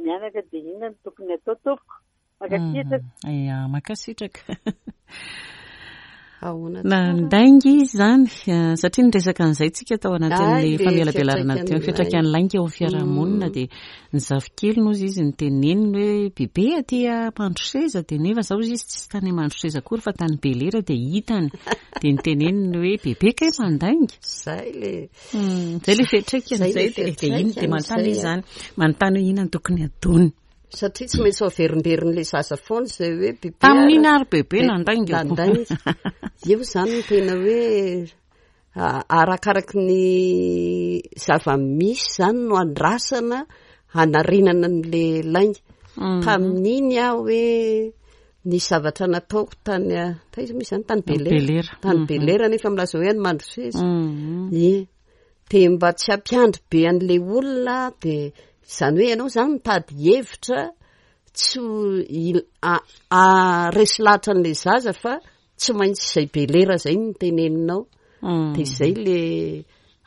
mianaka dia inona no tokony atao tompoko? Mankasitraka. Ya, mankasitraka. Ahoana tsara? Nandainga izy izany, satria niresaka an'izay tsika tao anatin'ny Ay, le famelabelarana teo, fiantraikan'ny fiantraikan'ny lainga eo amin'ny fiarahamonina, dia ny zafikeliny hozy izy niteneniny hoe bebe aty Mandroseza, dia nefa zao hozy izy tsy tany Mandroseza akory fa tany Belera, dia hitany, dia niteneniny hoe bebe kay mandainga. Zay le Zay le fiantraikany Zay le zay, dia dia iny, dia fiantraikany manontany izy zay, izany, manontany hoe inona no tokony ataony. Satria tsy maintsy averimberin'ilay zaza foana izay hoe bebe Tamin'iny ary bebe Be- nandainga. nandainga. Io izany no tena hoe arakaraky ny zava-misy izany no andrasana hanarenana an'ilay lainga. Tamin'iny aho hoe ny zavatra nataoko tany taiza moa izany? Tany Belera. Belera. Tany Belera nefa milaza hoe any Mandroseza. Ie. Dia mba tsy hampiandry be an'ilay olona dia izany hoe ianao izany mitady hevitra tsy ho il-, a-, haharesy lahatra an'ilay zaza fa tsy maintsy izay be lera izay no teneninao. Dia izay le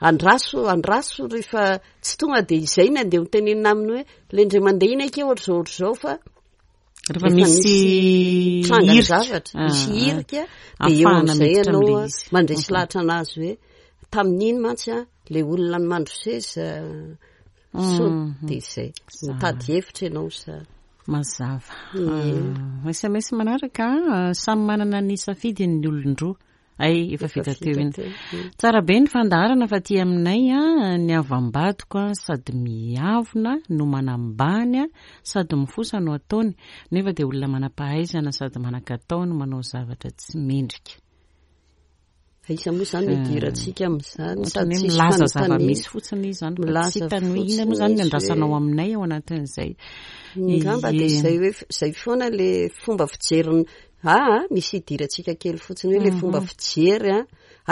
andraso, andraso rehefa tsy tonga dia izay no andeha ho tenenina aminy hoe ilay indray mandeha iny akia ohatr'izao ohatr'izao fa Rehefa misy tranga hirika. zavatra, misy Ah, hirika, dia eo ahafahana amin'izay miditra ianao amin'ilay a, izy. mandresy lahatra anazy hoe tamin'iny mantsy a, ilay olona ny mandroseza so dia izay. Mitady hevitra ianao sa. Mazava. Ie. Ah, SMS manaraka, ah, samy manana ny safidiny ny olon-droa. Hay, efa vita teo iny. Tsara be ny fandaharana fa aty aminay ny havam-badiko sady miavona no manambany sady mifosa no ataony nefa dia olona manam-pahaizana sady manan-katao no manao zavatra tsy mendrika. Aiza moa izany no idirantsika amin'izany? Ohatran'ny Sady hoe tsisy milaza fanontaniana. zava-misy fotsiny izy izany fa tsy Milaza hitany hoe inona moa fotsiny izany ny izy andrasanao hoe aminay ao anatin'izay. Angamba dia Ie. izay hoe izay foana ilay fomba fijeriny Aa, misy idirantsika kely fotsiny hoe le fomba fijery a,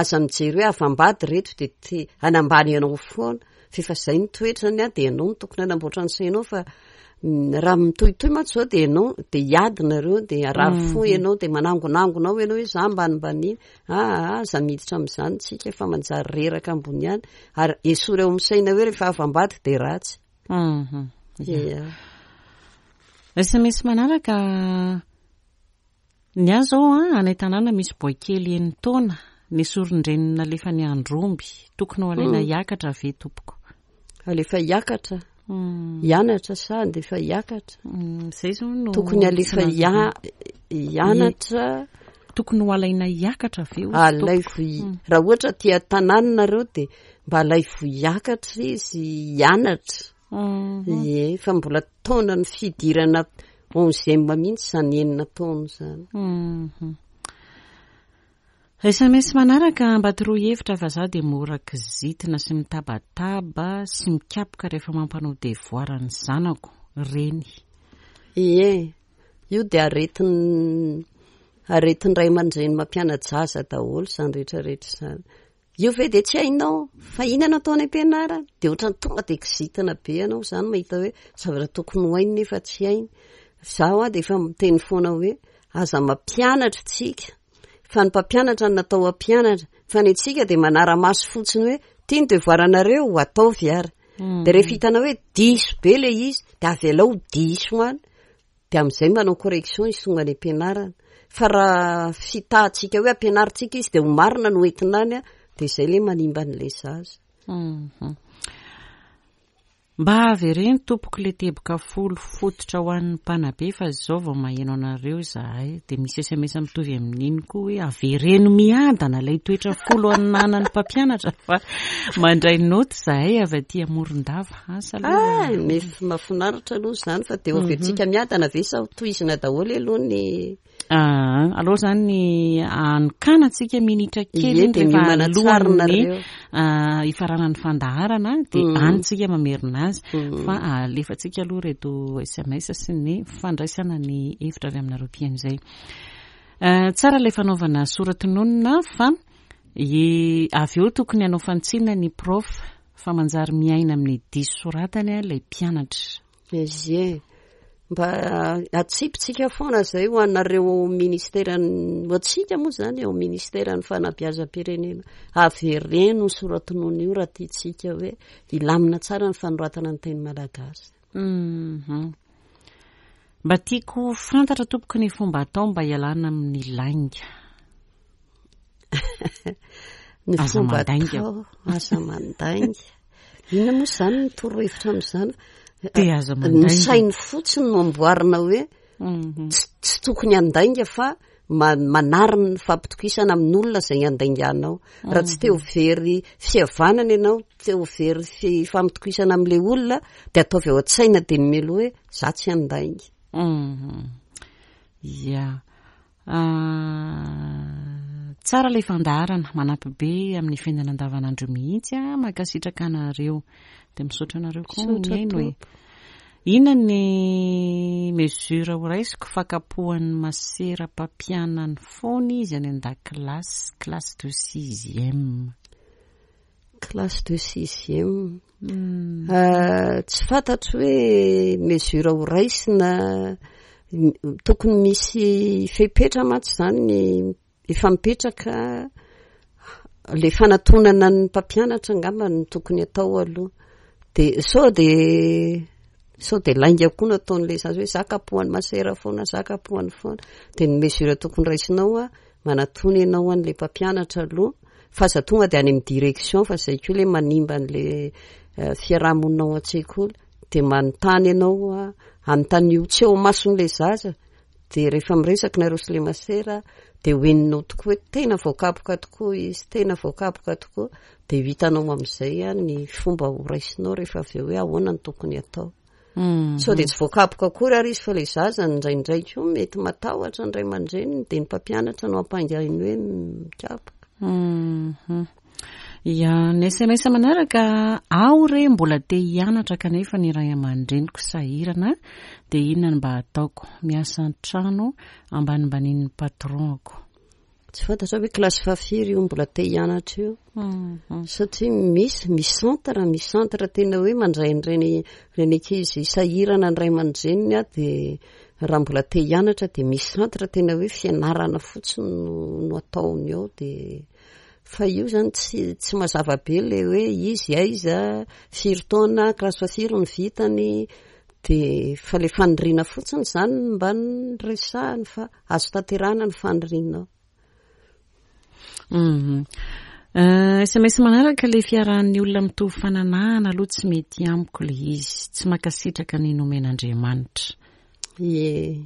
aza mijery hoe havam-bady reto dia te hanambany anao foana, fa efa izay ny toetrany a, dia ianao no tokony hanamboatra ny sainao fa raha mitohitohy mantsy izao dia ianao dia hiady nareo dia harary fo ianao dia manangonangona ao ianao hoe za ambanimbaniana, aa, aza miditra amin'izany tsika fa manjary reraka ambony ihany, ary esory ao amin'ny saina hoe rehefa havam-bady dia ratsy. Ia. SMS manaraka, Ny ahy zao an, any an-tanàna misy boay kely enin-taona, nesorin-dreniny nalefany andromby, tokony ho alaina hiakatra ve tompoko? Alefa hiakatra? Hianatra sa andefa hiakatra? Zay zao no Tokony alefa tsy nazavaina. hianatra. Tokony ho alaina hiakatra ve hozy Alaivo tompoko? raha ohatra aty an-tanàna nareo dia mba alaivo hiakatra izy hianatra. Ie, fa mbola taona ny fidirana onzième mihitsy izany enina taona izany. Sms manaraka, mba toroy hevitra fa za dia mora kizitina sy mitabataba sy mikapoka rehefa mampanao devoir ny zanako, reny. Ie, io dia aretin aretin-dray aman-dreny mampiana-jaza daholo izany rehetra rehetra izany. Io ve dia tsy hainao fa inona no atao any am-pianarana? Dia ohatran'ny tonga dia kizitina be ianao izany mahita hoe zavatra tokony ho hainy nefa tsy hainy. Izaho aho dia efa miteny foana hoe aza mampianatra tsika fa ny mpampianatra no natao hampianatra fa ny antsika dia manara-maso fotsiny hoe ity ny devoir-nareo ataovy ary. Dia rehefa hitanao hoe diso be ilay izy dia avelao ho diso any. Dia amin'izay manao correction izy tonga any am-pianarana. Fa raha fitahantsika hoe ampianarintsika izy dia ho marina no entina any, dia izay ilay manimba an'ilay zaza. Mhm. Mba avereno tompoko le teboka folo fototra ho an'ny mpanabe fa izao vao maheno anareo izahay. Dia misy sms mitovy amin'iny koa hoe avereno miadana ilay toetra folo ananan'ny mpampianatra fa mandray note izahay avy aty Morondava. Asa aloha. Ah, mef- mahafinaritra aloha izany fa dia ho averintsika miadana ve sa ho tohizina daholo aloha ny Ah, aloha izany ny anokanantsika minitra kely Ie, iny dia rehefa miomana tsara alohan'ny nareo. ah, hifaranan'ny fandaharana dia Mm. any tsika mamerina azy Mm. fa alefantsika aloha ireto SMS sy ny fandraisana ny hevitra avy aminareo mpihaino izay. Ah, tsara ilay fanaovana sora-tononina fa i- avy eo tokony hanao fanitsiana ny prof Fa manjary miaina amin'ny diso soratany ilay mpianatra. Ie. Mba atsipitsika foana izay ho anareo ao ministeran'ny, ho antsika moa izany ao ministeran'ny fanabeazam-pirenena. Avereno io sora-tonona io raha tiantsika hoe hilamina tsara ny fanoratana ny teny malagasy. Mhm. Mba tiako ho fantatra tompoko ny fomba atao mba hialana amin'ny lainga. Ny Aza fomba mandainga. atao, aza mandainga. Inona moa izany ny torohevitra amin'izany? Dia aza Ny mandainga. sainy fotsiny no amboarina hoe Mhm. tsy, tsy tokony handainga fa ma-, manarina ny fampitokisana amin'olona izay handainganao. Raha tsy te ho very fihavanana ianao, te ho very fifampitokisana amin'ilay olona, dia ataovy ao an-tsaina dia ny mialoha hoe za tsy handainga. Mhm. Ya. Ah, tsara ilay fandaharana, manampy be amin'ny fiainana andavanandro mihitsy ah, mankasitraka anareo. Dia misaotra anareo koa Misaotra mihaino e. tompoko. Inona ny mesure ho raisiko fa kapohan'ny masera mpampianany foana izy any an-dakilasy, classe de sixième. Classe de sixième. Ah, tsy fantatro hoe mesure ho raisina, tokony misy fepetra mantsy izany ny efa mipetraka, le fanatonana ny mpampianatra angamba no tokony atao aloha. De sao de sao de lainga koa no ataon'ilay zaza hoe za kapohan'ny masera foana, za kapohany foana. De ny mesure tokony raisinao a, manatona ianao an'ilay mpampianatra aloha, fa aza tonga de any amin'ny direction fa zay koa le manimba an'le fiaraha-monina ao an-tsekoly. De manontany ianao a, anontanio tsy eo imason'ilay zaza, Dia rehefa miresaka nareo sy le masera dia ho henonao tokoa hoe tena voakapoka tokoa izy, tena voakapoka tokoa. Dia ho hitanao amin'izay ny fomba ho raisinao rehefa avy eo hoe ahoana no tokony hatao. Sao dia tsy voakapoka akory ary izy fa ilay zaza indraindray koa mety matahotra ny ray aman-dreniny dia ny mpampianatra no ampangainy hoe mikapoka. Ya, ny sms manaraka, aho re mbola te hianatra kanefa ny ray aman-dreniko sahirana dia inona no mba ataoko? Miasa an-trano ambanimbanin'ny patron-ko. Tsy fantatra hoe kilasy fahafiry io mbola te hianatra io. Satria misy, misy centre, misy centre tena hoe mandray an'ireny, ireny ankizy sahirana ny ray aman-dreniny a, dia raha mbola te hianatra dia misy centre tena hoe fianarana fotsiny no, no ataony ao dia Fa io zany tsy tsy mazava be le hoe izy aiza, firy taona, kilasy fahafiry no vitany, de fa le faniriana fotsiny zany no mba resahiny fa azo tanterahina ny fanirianao. Mhm. Sms manaraka le fiarahan'ny olona mitovy fananahana aloha tsy mety amiko le izy, tsy mankasitraka ny nomen'Andriamanitra. Ie.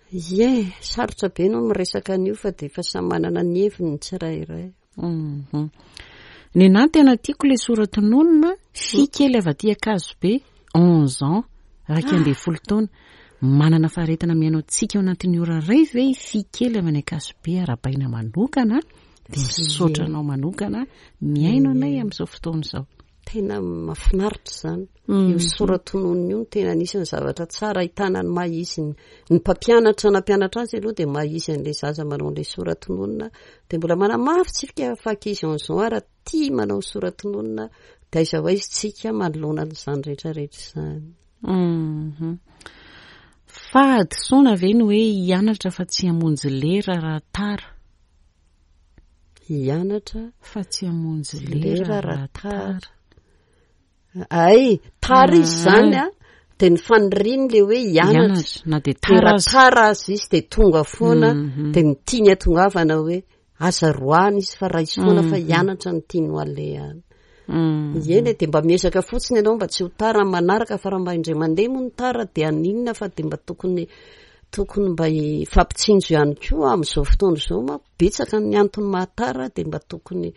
Ie, sarotra be no miresaka an'io fa dia efa samy manana ny heviny ny tsirairay. Mhm. Nenà tena tiako le sora-tononina, fy kely avy aty Ankazobe, 11 ans, 11 taona. Manana faharetana mihaino antsika ao anatin'ny ora iray ve i Fy kely avy any Ankazobe arahabaina manokana dia misaotra anao manokana mihaino anay amin'izao fotoana izao. Tena mahafinaritra izany. Io sora-tononina io no tena anisan'ny zavatra tsara ahitana ny maha izy ny ny mpampianatra nampianatra azy aloha dia maha izy an'ilay zaza manao an'ilay sora-tononina dia mbola manamafy tsika fa ankizy onze ans ary tia manao sora-tononina dia aiza ho aiza tsika manoloana an'izany rehetra rehetra izany. Mhm. Fahadisoana ve ny hoe hianatra fa tsy hamonjy lera raha tara? Hianatra fa tsy hamonjy lera raha tara. Ay, tara izy zany a, dia ny faniriany le hoe hianatra. Na dia tara aza. Tara aza izy dia tonga foana, mhm. dia ny tiany atongavana hoe aza roahana izy fa raiso foana fa mhm. hianatra ny tiany ho alehany. Mhm. Eny e, dia mba miezaka fotsiny ianao mba tsy ho tara amin'ny manaraka fa raha mba indray mandeha moa ny tara dia haninona fa dia mba tokony tokony mba hifampitsinjo ihany koa amin'izao fotoana izao manko betsaka ny antony mahatara dia mba tokony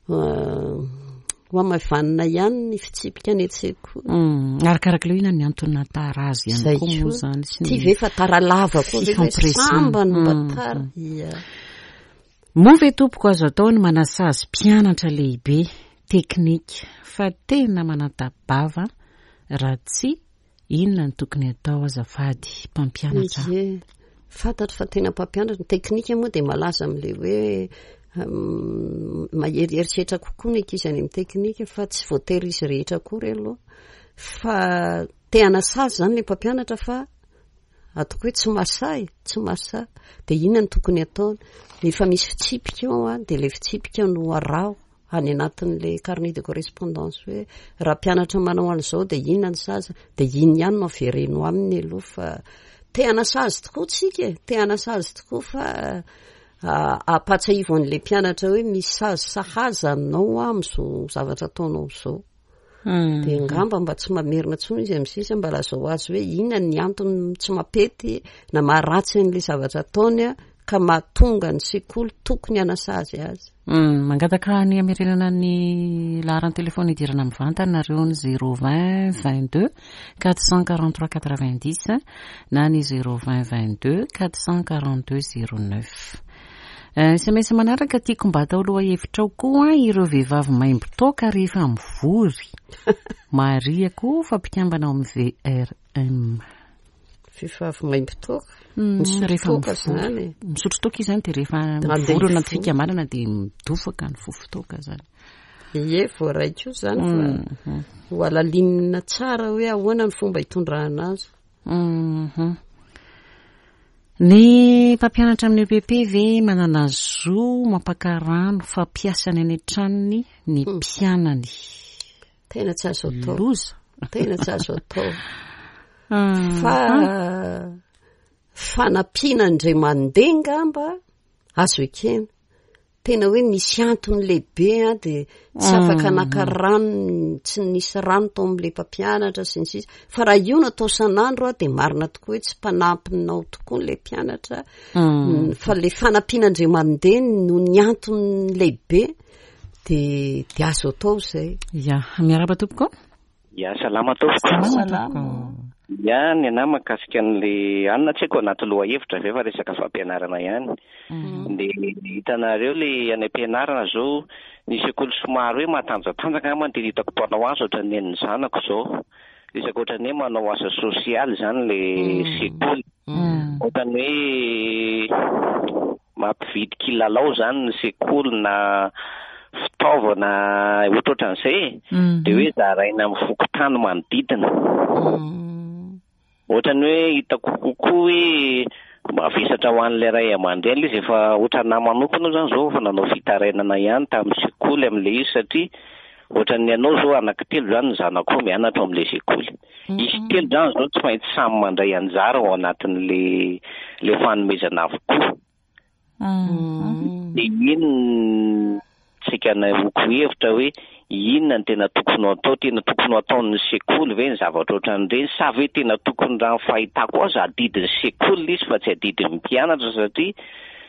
ho hamaivanina ihany ny fitsipika any an-tsekoly. Mm, arakaraka ilay inona ny antony nahatara azy ihany koa moa izany sy ny Ty ve fa tara lava koa ve fa sambany mba mm, tara. Mm. Ia. Moa ve tompoko azo atao ny manasazy mpianatra lehibe teknika fa tena mananta-bava raha tsy Inona no tokony atao azafady mpampianatra? Ie, fantatro fa tena mpampianatra. Ny teknika moa dia malaza amin'ilay hoe mahery herisetra kokoa ny ankizy any amin'ny teknika fa tsy voatery izy rehetra akory aloha. Fa te hanasazy izany ilay mpampianatra fa ataoko hoe tsy mahasahy, tsy mahasahy. Dia inona no tokony ataony? Efa misy fitsipika ao dia ilay fitsipika no araho. any anatin'ilay carnet de correspondance hoe raha mpianatra manao an'izao dia inona ny sazy, dia iny ihany no avereno aminy aloha fa te hanasazy tokoa tsika e, te hanasazy tokoa fa ampahatsiahivo an'ilay mpianatra hoe misy sazy sahaza anao amin'izao zavatra ataonao izao. Hmm. Dia angamba mba tsy mamerina intsony izy amin'ny sisa mba lazao azy hoe inona ny antony tsy mampety na maharatsy an'ilay zavatra ataony ka mahatonga ny sekoly tokony hanasazy azy. Hmm, mangataka ny hamerenana ny laharan-telefona idirana mivantana nareo ny 020 22 443 90 na ny 020 22 442 09. Sms manaraka tiako mba atao lohahevitra ao koa ireo vehivavy maimbo toaka rehefa mivory. Marihako fa mpikambana ao amin'ny VRM. Vehivavy maimbo toaka? Misotro rehefa toaka mivory. izany e. Misotro toaka izy izany dia rehefa Mandeha mivory ao anaty mivory. fikambanana dia midofaka ny fofon-toaka izany. Ie, voaray koa izany fa ho halalinina tsara hoe ahoana ny fomba hitondrana azy. Ny mpampianatra amin'ny EPP ve manana zo mampaka rano fampiasany any an-tranony ny hmm. mpianany? Tena tsy azo atao. Loza. Tena tsy azo atao. Hmm. Fa fanampiana indray mandeha ngamba azo ekena. Tena hoe nisy antony lehibe an, dia tsy afaka mm. naka rano, tsy nisy rano tao amin'ilay mpampianatra sy ny sisa. Fa raha io no atao san'andro an, dia marina tokoa hoe tsy mpanampinao tokoa ilay mpianatra. Mm. Fa ilay fanampiana indray mandeha no ny antony lehibe dia dia azo atao izay. Ya, miarahaba tompoko. Ya, salama tompoko. Salama tompoko. Ya, ny anah mahakasika an'le anona tsy haiko anaty lohahevitra ve fa resaka fampianarana ihany. Mm. De hitanareo le any am-pianarana zao, ny sekoly somary hoe matanjatanjaka angamba no tena hitako mpanao azy ohatran'ny an'ny zanako zao. Resaka ohatran'ny hoe manao asa sosialy zany le mm. sekoly. Mm. Ohatran'ny hoe Mampividy kilalao izany ny sekoly na fitaovana ohatrohatran'izay e, dia hoe zaraina amin'ny fokontany manodidina. Ohatran'ny hoe hitako kokoa hoe mavesatra ho an'ilay ray aman-dreny ilay izy, efa ohatranà manokana aho izany izao efa nanao fitarainana ihany tamin'ny sekoly amin'ilay izy satria ohatran'ny anao izao anankitelo izany ny zanakao mianatra ao amin'ilay sekoly. Izy telo izany izao tsy maintsy samy mandray anjara ao anatin'ilay ilay fanomezana avokoa. Dia iny no saika nanehoako hevitra hoe inona no tena tokony ho atao, tena tokony ho ataon'ny sekoly ve ny zavatra ohatran'ireny sa ve tena tokony raha ny fahitako azy adidin'ny sekoly ilay izy fa tsy adidin'ny mpianatra satria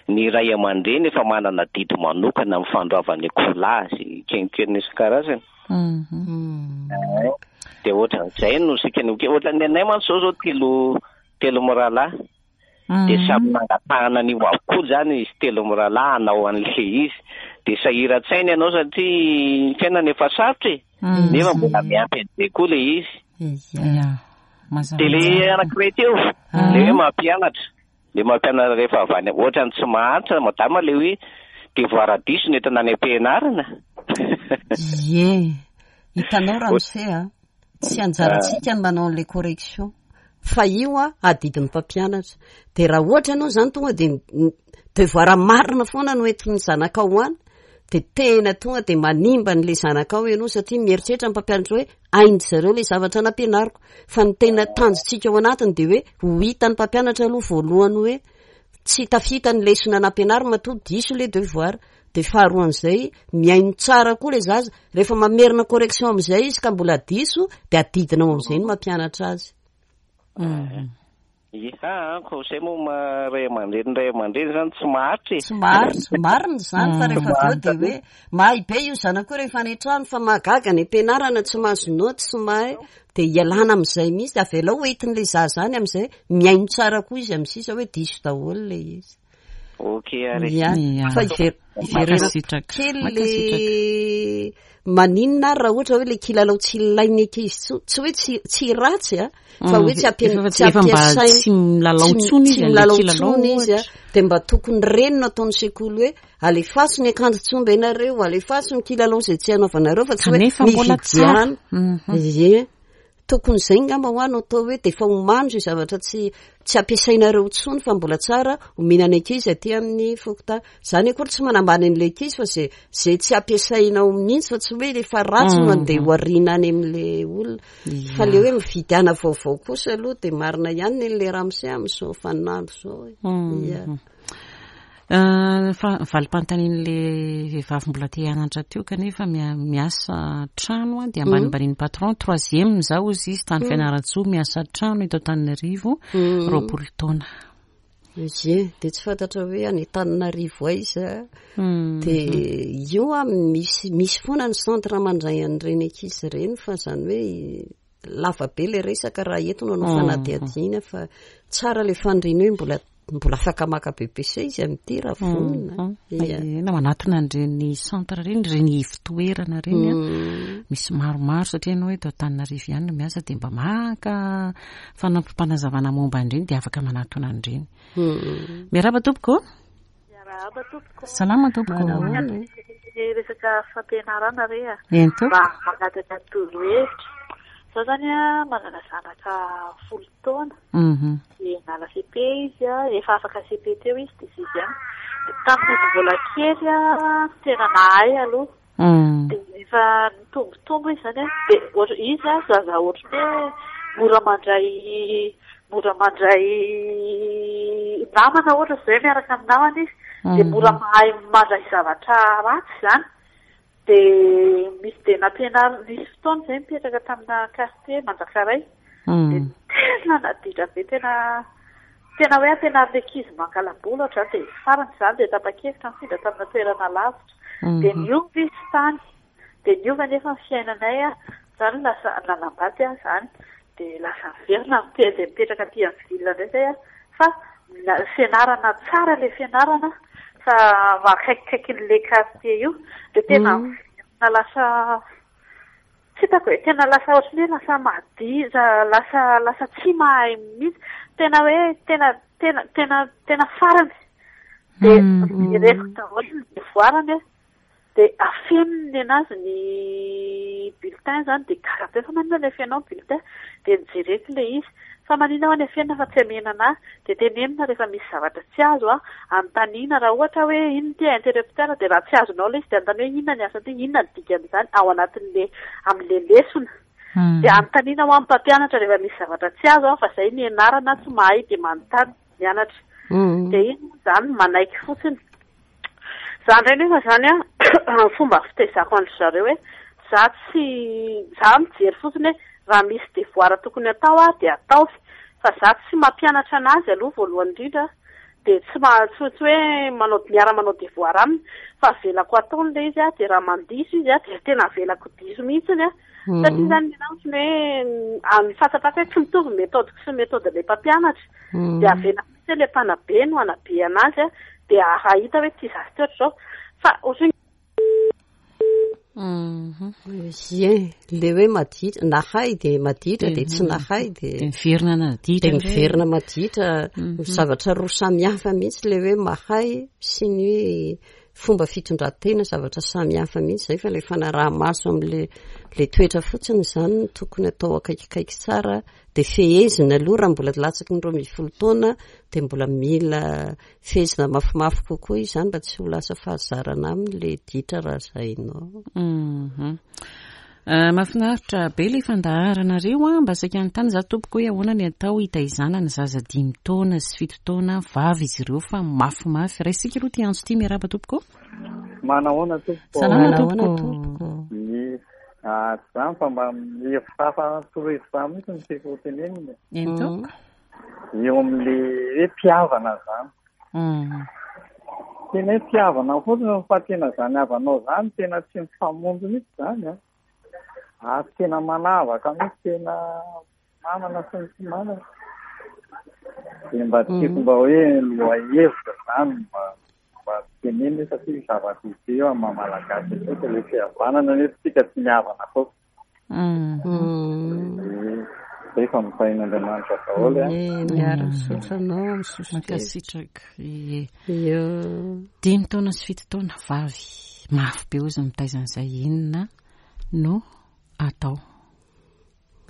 ny ray aman-dreny efa manana adidy manokana amin'ny fandoavana ekolazy kenkenina isan-karazany. Dia ohatran'izay no saika ny ohatran'ny anay mantsy izao izao telo. telo mirahalahy. Dia samy nangatahana an'io avokoa izany izy telo mirahalahy hanao an'ilay izy. Dia sahiran-tsaina ianao satria ny fiainana efa sarotra e. Nefa mbola miampy an'izay koa ilay izy. Ia. Mazava Dia ilay tsara. anankiray teo, ilay hoe mampianatra. Ilay mampianatra rehefa avy any, ohatran'ny tsy mahantra madama ilay hoe devoir diso no entina any am-pianarana. Ie. Hitanao ramose a, tsy anjarantsika ny manao an'ilay correction fa io a adidin'ny mpampianatra. Dia raha ohatra ianao izany tonga dia devoir marina foana no entin'ny zanakao any, dia tena tonga dia manimba an'ilay zanakao ianao satria mieritreritra ny mpampianatra hoe hain-dry zareo ilay zavatra nampianariko. Fa ny tena tanjontsika ao anatiny dia hoe ho hitan'ny mpampianatra aloha voalohany hoe tsy tafita ny lesona nampianarina matoa diso ilay devoir. Dia faharoan'izay, mihaino tsara koa ilay zaza. Rehefa mamerina correction amin'izay izy ka mbola diso, dia adidinao amin'izay ny mampianatra azy. Iha an, ko zay moa ma ray aman-dreny ray aman-dreny zany tsy maharitra e. Tsy maharitra, marina izany fa rehefa avy eo dia hoe mahay be io zanako io rehefa any an-trano fa mahagaga any am-pianarana tsy mahazo naoty sy mahay dia ialana amin'izay mihitsy, avelao ho entin'ilay zaza any amin'izay mihaino tsara koa izy amin'ny sisa hoe diso daholo ilay izy. Ok ary. Ia, Ia. fa iver- iverenako Mankasitraka. kely le Mankasitraka. maninona ary raha ohatra hoe le kilalao tsy ilain'ny ankizy intsony, tsy hoe tsy tsy ratsy a, fa hoe tsy ampian- Efa- tsy efa mba ampiasaina tsy milalao tsy intsony tsy izy, an'ilay milalao kilalao intsony izy a, ohatra. dia mba tokony ireny no ataon'ny sekoly hoe alefaso ny akanjo tsomba ianareo, alefaso ny kilalao izay tsy anaovanareo fa tsy hoe Kanefa mbola tsara. mividiana. Ie. Tokony izay ngamba hoa no atao hoe dia efa omano izay zavatra tsy tsy ampiasainareo intsony fa mbola tsara omena ny ankizy aty amin'ny fokontany. Izany akory tsy manambany an'ilay ankizy fa izay izay tsy ampiasainao mihitsy fa tsy hoe efa ratsy no andeha ho ariana any amin'ilay olona. Fa ilay hoe mividiana vaovao kosa aloha dia marina ihany ny an'ilay ramose amin'izao vaninandro izao e. Ia. Fa valim-panontanian'ilay vehivavy mbola te hianatra teo kanefa miasa trano dia ambanimbanian'ny patron, troisième za hozy izy tany Fianarantsoa miasa trano eto Antananarivo, 20 taona. Ie, dia tsy fantatra hoe any Antananarivo aiza. Dia io an, misy misy foana ny centre mandray an'ireny ankizy ireny fa izany hoe lava be ilay resaka raha eto no hanao fanadihadiana fa tsara ilay faniriana hoe mbola mbola afaka maka BEPC izy amin'ity raha vonona. Ia. Na manatona an'ireny centre ireny, ireny ivotoerana ireny an, misy maromaro satria ianao eto Antananarivo ihany no miasa dia mba maka fanampim-panazavana momba an'ireny dia afaka manatona an'ireny. Miarahaba tompoko. Miarahaba tompoko. Salama tompoko. Manahoana e? Ny resaka fampianarana re a. Eny tompoko. Mba mangataka torohevitra. Za zany a manana zanaka folo taona. Mhm. Dia nala CP izy a, efa afaka CP teo izy dia sixième. Dia tamin'izy mbola kely a, tena nahay aloha. Dia rehefa nitombotombo izy izany an, dia ohatr- izy an zaza ohatran'ny hoe mora mandray mora mandray namana ohatra izao hoe miaraka amin'ny namana izy, dia mora mahay mandray zavatra ratsy izany. Dia misy dia nampianarina, nisy fotoana izay nipetraka tamina quartier Manjakaray, dia tena naditra be, tena Tena hoe ampianarina ankizy mangala-bola ohatr'izany dia farany izany dia tapa-kevitra nifindra tamina toerana lavitra. Dia niova izy tany. Dia niova anefa ny fiainanay an, izany lasa nanambady aho izany. Dia lasa niverina dia mipetraka aty amin'ny ville indray izay aho. Fa fianarana tsara ilay fianarana fa akaikikaikin'ilay quartier io. Dia tena miverina lasa Tsy hitako e, tena lasa ohatran'ny hoe lasa maditra, lasa lasa tsy mahay mihitsy, tena hoe tena tena tena tena farany. Dia jereko daholo ny devoirany a, dia afeniny nenazy ny bulletin zany, dia gaga be fa maninona ilay afeninao ny bulletin, dia nojereko ilay izy, fa maninona hoa ny afenina fa tsy amena anah, dia tenenina rehefa misy zavatra tsy azo a, anontaniana raha ohatra hoe inona ity interrupteur dia raha tsy azonao ilay izy dia anontaniana hoe inona ny asan'ity, inona ny dikan'izany ao anatin'le amin'le lesona. Dia anontaniana hoa ny mpampianatra rehefa misy zavatra tsy azo a, fa izay nianarana tsy mahay dia manontany mianatra. Dia iny moa izany manaiky fotsiny. Za indray nefa izany an, fomba fitaizako an-dry zareo hoe za tsy, za mijery fotsiny hoe raha misy devoir tokony atao aho dia ataovy, fa za tsy mampianatra an'azy aloha voalohany indrindra, Dia tsy ma- tsy tsy hoe manao miara-manao devoir aminy fa avelako ataony ilay izy a, dia raha mandiso izy a, dia tena avelako diso mihitsiny a. Satria izany ny anahy ohatran'ny hoe ny fahatsapako hoe tsy mitovy ny méthode-ko sy ny méthode-n'ilay mpampianatra. Dia avelako mihitsy hoe ilay mpanabe no hanabe an'azy a, dia hahita hoe ity zaza ity ohatr'izao. Fa ohatran'ny Ie, le hoe maditra, nahay dia maditra dia tsy nahay dia Dia miverina naditra dia miverina maditra. Zavatra roa samy hafa mihitsy le hoe mahay sy ny hoe fomba fitondran-tena, zavatra samy hafa mihitsy izay fa le fanaraha-maso amin'le le toetra fotsiny izany no tokony atao akaikikaiky tsara dia fehezina aloha raha mbola latsaky ny 12 taona dia mbola mila Fehezina mafimafy kokoa izany mba tsy ho lasa fahazarana aminy le ditra raha zainao. Mhm. Eh, mahafinaritra be ilay fandaharanareo a, mba saika hanontany za tompoko hoe ahoana ny atao hitaizana ny zaza dimy taona sy fito taona vavy izy ireo fa mafimafy. Raisika aloha ity antso ity, miarahaba tompoko. Manahoana tompoko. Salama tompoko. Ie, ah, tsy izany fa mba hevitra hafa torohevitra mihitsy no tiako ho tenenina. Eny tompoko. Eo amin'le hoe mpihavana zany. Tena hoe mpihavana fotsiny fa tena zany havanao zany tena tsy mifamonjy mihitsy zany an. Ary tena manavaka mihitsy tena manana sy ny tsy manana. Dia mba tiako mba hoe lohahevitra zany mba mba tenenina satria zava-dehibe eo amin'ny maha malagasy antsika le fihavanana nefa tsika tsy mihavana koa. Zay fa mitahin'Andriamanitra daholo e. Miara misaotra anao amin'ny soso-kevitra. Mankasitraka. Ie. Dimy taona sy fito taona vavy. Mafy be ozy mitaiza an'izay inona no atao.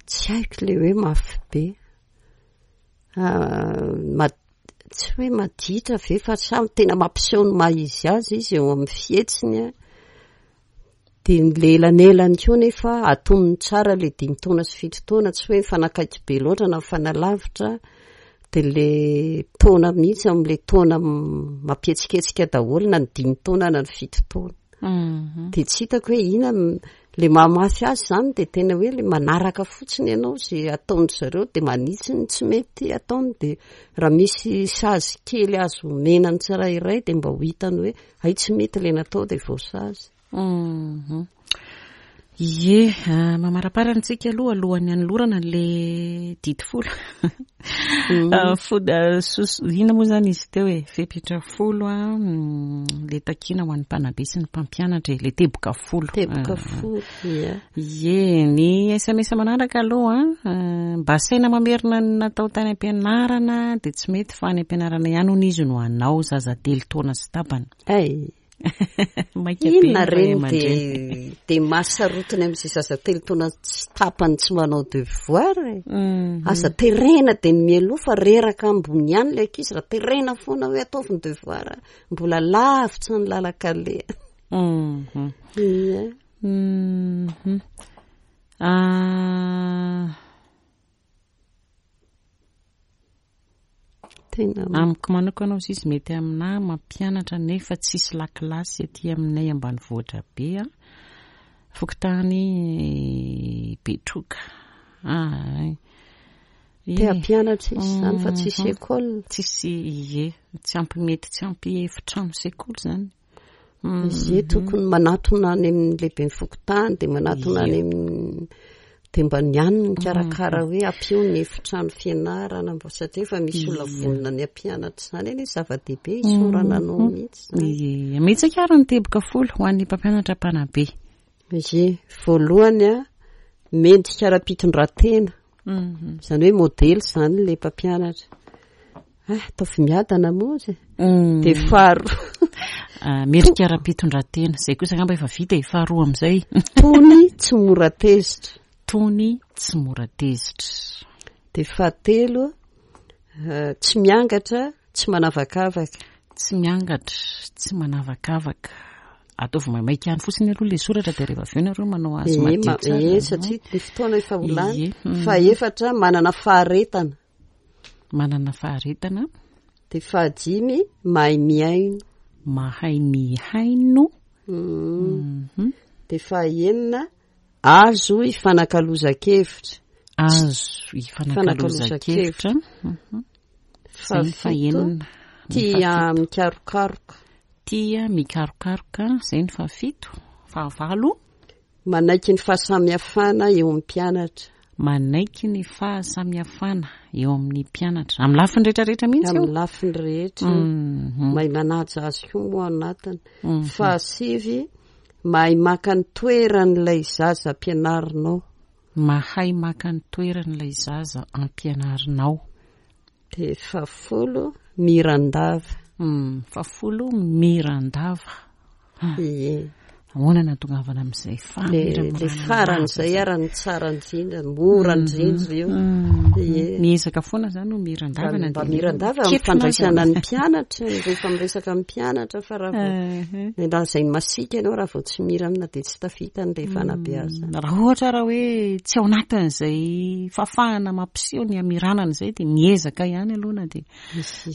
Tsy haiko le hoe mafy be. Ah, tsy hoe maditra ve fa samy tena mampiseho ny maha izy azy izy eo amin'ny fihetsiny. Dia ny le elanelany koa nefa atonony tsara le dimy taona sy fito taona, tsy hoe mifanakaiky be loatra na mifanalavitra, dia le taona mihitsy amin'le taona mampihetsiketsika daholo na ny dimy taona na ny fito taona. Mhm. Dia tsy hitako hoe inona le mahamafy azy izany dia tena hoe le manaraka fotsiny ianao izay ataon-dry zareo dia manitsy ny tsy mety ataony dia raha misy sazy kely azo omena ny tsirairay dia mba ho hitany hoe Hay tsy mety ilay natao dia voasazy. Mhm. Ie, ah, mamaraparana antsika aloha alohan'ny hanolorana an'le didy folo. Mm. Ah, fo- ah, sos- inona moa izany izy teo e? Fepetra folo a, mm, le takiana ho an'ny mpanabe sy ny mpampianatra e, le teboka folo. Teboka Ah. folo, ia. Ie, ny SMS manaraka aloha an, mba asaina mamerina ny natao tany am-pianarana dia tsy mety fa any am-pianarana ihany hono izy no hanao, zaza telo taona sy tapany. Hay! Maika be Inona ny ray ireny aman-dreny. dia dia mahasarotiny amin'izay zaza telo taona sy tapany tsy manao devoir e. Aza terena dia ny mialoha fa reraka ambony ihany ilay ankizy raha terena foana hoe ataovy ny devoir, mbola lavitra ny lalan-kaleha. Ie. Mhm. Ah. Tena Amiko manokana hozy izy mety aminà mampianatra nefa tsisy lakilasy aty aminay ambanivohitra be a. Fokontany Betroka. Ah, Te hampianatra izy izany fa tsisy Mhm. école. Tsisy ie, tsy ampy mety tsy ampy efitrano sekoly izany. Ie, tokony manatona any amin'ny lehiben'ny fokontany dia manatona any amin'ny dia mba ny any no mikarakara hoe ampio ny efitrano fianarana mba satria efa misy olona vonona ny hampianatra izany anie zava-dehibe isaorana anao mihitsy izany. Ie, mihetsika ary ny teboka folo ho an'ny mpampianatra mpanabe. Ie, voalohany a, mendrika ara-pitondran-tena. Izany hoe modely izany ilay mpampianatra. Ah, ataovy miadana moa izy. Mm. Dia faharoa. Ah, mendrika ara-pitondran-tena. Izay kosa angamba efa vita e, faharoa amin'izay. Tony tsy mora tezitra. Tony tsy mora tezitra. Dia fahatelo, eh, tsy miangatra, tsy manavakavaka. Tsy miangatra, tsy manavakavaka. Ataovy maimaika ihany fotsiny aloha ilay soratra dia rehefa avy eo nareo manao azy Ie, madio ma- tsara. ie, satria ny fotoana efa ho lany. Ie, mm. Fahefatra, manana faharetana. Manana faharetana. Dia fahadimy, mahay mihaino. Mahay mihaino. Mm. Mhm. Dia fahenina, azo ifanakalozan-kevitra. Azo ifanakalozan-kevitra. Mhm. Izay ny Fahafito, fahenina. Tia mikarokaroka. Tia mikarokaroka, izay ny fahafito. Fahavalo. Manaiky ny fahasamihafana eo amin'ny mpianatra. Manaiky ny fahasamihafana eo amin'ny mpianatra. Amin'ny lafiny rehetra rehetra mihitsy io. Amin'ny lafiny rehetra. Mhm. Mahay manaja azy koa moa ao anatiny. Mhm. Fahasivy, mahay maka ny toeran'ilay zaza ampianarinao. Mahay maka ny toeran'ilay zaza ampianarinao. Dia fahafolo, miran-dava. Hmm, fahafolo, miran-dava. Ah. Ie. Ahoana no ahatongavana amin'izay fa Le le faran'izay ara ny tsara indrindra, mora mhm. indrindra io. Mhm. Ie. Miezaka foana zany ho miran-dava na Mba miran-dava amin'ny fandraisana ny mpianatra, rehefa miresaka amin'ny mpianatra fa raha vao mhm. ny lazainy masiaka ianao raha vao tsy mira amina dia tsy tafita ny le fanabeazana. Raha ohatra raha hoe tsy ao anatin'izay fahafahana mampiseho ny hamiranana izay dia miezaka ihany aloha na dia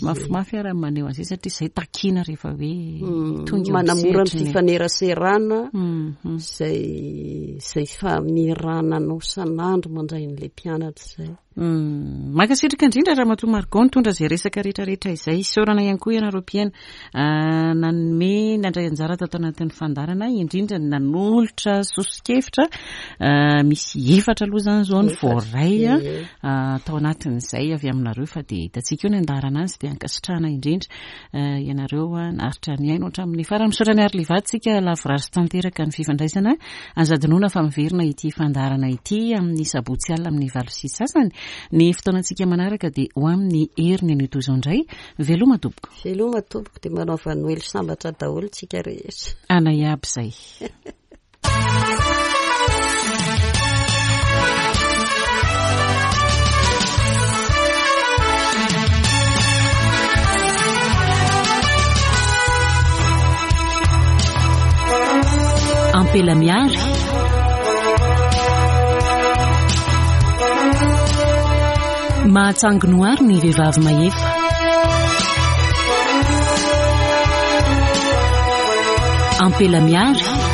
Mafimafy ara ny maneho an'izay satria izay takiana rehefa hoe hmm, tonga eo manamora ny fifaneraserana mhm. izay izay famirananao san'andro mandray an'ilay mpianatra izay. Hmm, mankasitraka indrindra Ramatoa Margot nitondra izay resaka rehetrarehetra izay. Isaorana ihany koa ianareo mpihaino ah, nanome nandray anjara tato anatin'ny fandaharana indrindra ny nanolotra soso-kevitra ah, misy efatra aloha izany izao ny voaray. Tao anatin'izay avy aminareo fa dia hitantsika eo ny andaharana azy dia ankasitrahana indrindra ianareo naharitra nihaino hatramin'ny farany. Misaotra an'i Arliva tsika lavorary sy tanteraka ny fifandraisana. Aza adinoina fa miverina ity fandaharana ity amin'ny sabotsy alina amin'ny 8:30. Ny fotoanantsika manaraka dia ho amin'ny heriny anio toy izao indray. Veloma tompoko. Veloma tompoko dia manaova Noely sambatra daholo tsika rehetra. Anay aby izay. Ampela miary. Mahatsangy noary ny vehivavy mahefa. Ampela miary.